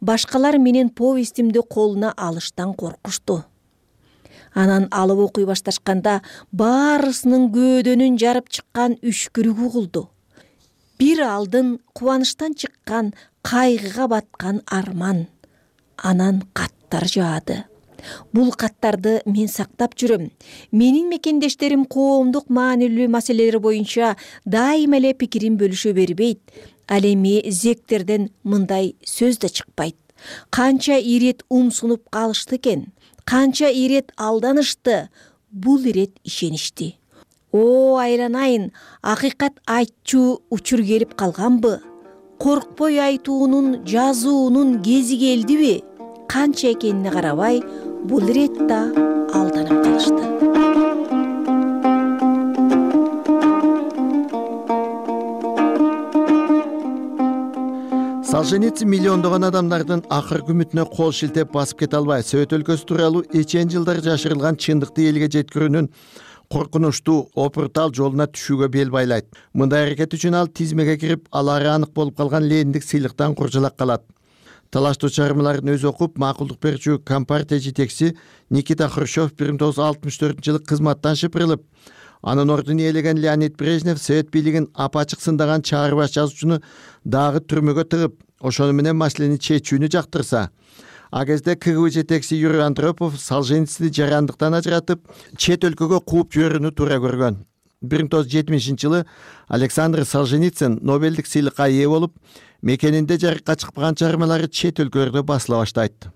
S9: Башкалар менен повестимди колуна алыштан коркушту. Анан алып окуй башташканда баарысынын көөдөнүн жарып чыккан үшкүрүгү угулду. Бир алдын кубанычтан чыккан, кайгыга баткан арман. Анан каттар жаады. Бул каттарды мен сактап жүрөм. Менин мекендештерим коомдук маанилүү маселелер боюнча дайыма эле пикирин бөлүшө бербейт. Ал эми зектерден мындай сөз да чыкпайт. Канча ирет умсунуп калышты экен, канча ирет алданышты, бул ирет ишеништи. О, айланайын, акыйкат айтчу учур келип калганбы? Коркпой айтуунун, жазуунун кези келдиби? Канча экенине карабай, бул ирет да алданып калышты.
S7: Солженицин миллиондогон адамдардын акыркы үмүтүнө кол шилтеп басып кете албай, Совет өлкөсү тууралуу эчен жылдар жашырылган чындыкты элге жеткирүүнүн коркунучтуу, опуртал жолуна түшүүгө бел байлайт. Мындай аракет үчүн ал тизмеге кирип, алары анык болуп калган Лениндик сыйлыктан куржалак калат. Талаштуу чыгармаларын өзү окуп, макулдук берүүчү Компартия жетекчиси Никита Хрущев бир миң тогуз жүз алтымыш төртүнчү жылы кызматтан шыпырылып, анын ордун ээлеген Леонид Брежнев Совет бийлигин апачык сындаган чаарбаш жазуучуну дагы түрмөгө тыгып, ошону менен маселени чечүүнү жактырса, а кезде КГБ жетекчиси Юрий Андропов Солженицини жарандыктан ажыратып, чет өлкөгө кууп жиберүүнү туура көргөн. бир миң тогуз жүз жетимишинчи жылы Александр Солженицин Нобелдик сыйлыкка ээ болуп, мекенинде жарыкка чыкпаган чыгармалары чет өлкөлөрдө басыла баштайт.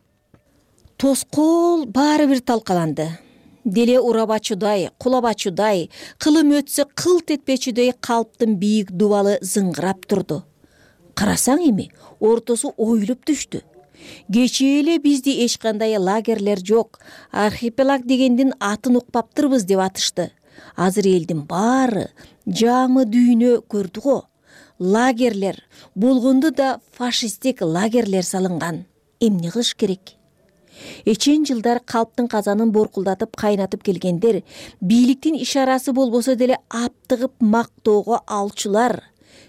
S9: Тоскоол баары бир талкаланды. Деле урабачудай, кулабачудай, кылым өтсө кылт этпечүдөй калптын бийик дубалы зыңгырап турду. Карасаң эми, ортосу оюлуп түштү. Кечээ эле бизде эч кандай лагерлер жок, архипелаг дегендин атын укпаптырбыз деп атышты. Азыр элдин баары жаңы дүйнө көрдү го. Лагерлер, болгонду да фашисттик лагерлер салынган. Эмне кылыш керек? Эчен жылдар калптын казанын боркулдатып кайнатып келгендер, бийликтин ишарасы болбосо деле аптыгып мактоого алчулар.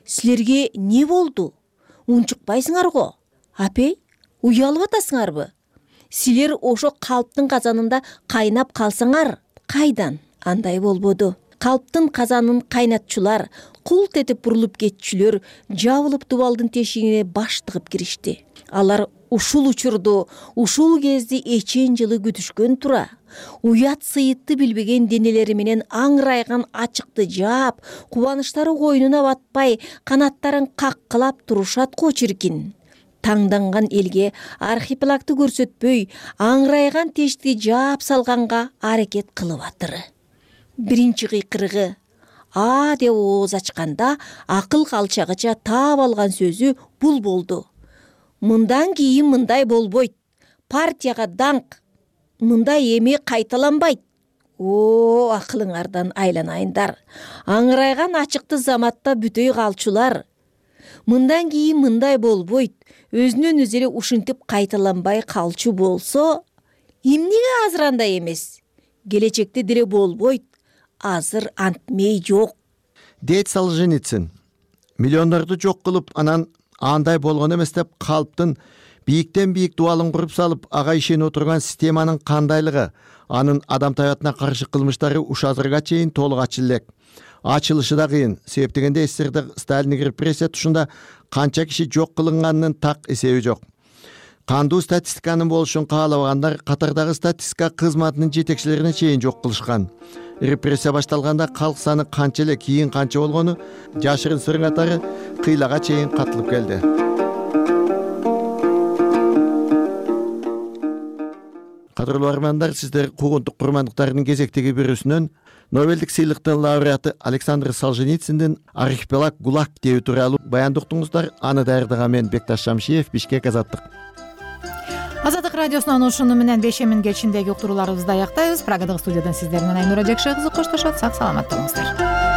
S9: Силерге не болду? Унчукпайсыңар го? Апей, уялып атасыңарбы? Силер ошо калптын казанында кайнап калсаңар, кайдан? Андай болбоду. Калптын казанын кайнатчулар, култ этип бурулуп кетчүлөр жабылып дубалдын тешигине баш тыгып киришти. Алар ушул учурду, ушул кезди эчен жылы күтүшкөн тура. Уят сыйытты билбеген денелери менен аңырайган ачыкты жаап, кубанычтары койнуна батпай, канаттарын каккылап турушат го чиркин. Таңданган элге архипелагды көрсөтпөй, аңырайган тешти жаап салганга аракет кылып атыры. Биринчи кыйкырыгы а деп ооз ачканда акыл калчагыча таап алган сөзү бул болду. Мындан кийин мындай болбойт. Партияга даңк. Мындай эми кайталанбайт. О, акылыңардан айланайындар. Аңырайган ачыкты заматта бүтөй калчулар. Мындан кийин мындай болбойт. Өзүнөн өзү эле ушинтип кайталанбай калчу болсо, эмнеге азыр андай эмес? Келечекте деле болбойт. Азыр антмей жок.
S7: Дейт Солженицин. Миллиондорду жок кылып, анан андай болгон эмес деп калптын бийиктен бийик дубалын куруп салып, ага ишенип отурган системанын кандайлыгы, анын адам таbiatына каршы кылмыштары уш азырга чейин толук ачыла элек. Ачылышы да кыйын. Себеп дегенде СССРда Сталиндик репрессия тушунда канча киши жок кылынганынын так эсеби жок. Кандуу статистиканын болушун каалабагандар катардагы статистика кызматынын жетекчилерине чейин жок кылышкан. Репрессия башталганда калк саны канча эле, кийин канча болгону жашырын сырың катары кыйлага чейин катылып келди. Кадырлуу армандар, сиздер куугунтук курмандыктардын кезектеги бирөөсүнөн Нобелдик сыйлыктын лауреаты Александр Солженициндин «Архипелаг ГУЛАГ» теби тууралуу баянды уктуңуздар. Аны даярдаган мен Бекташ Шамшиев, Бишкек, Азаттык.
S1: Азаттык радиосунун ушуну менен бешемин кечиндеги уктурууларыбызды аяктайбыз. Прагадагы студиядан сиздер менен Айнура Жакшы кызы коштошот. Сак саламат болуңуздар.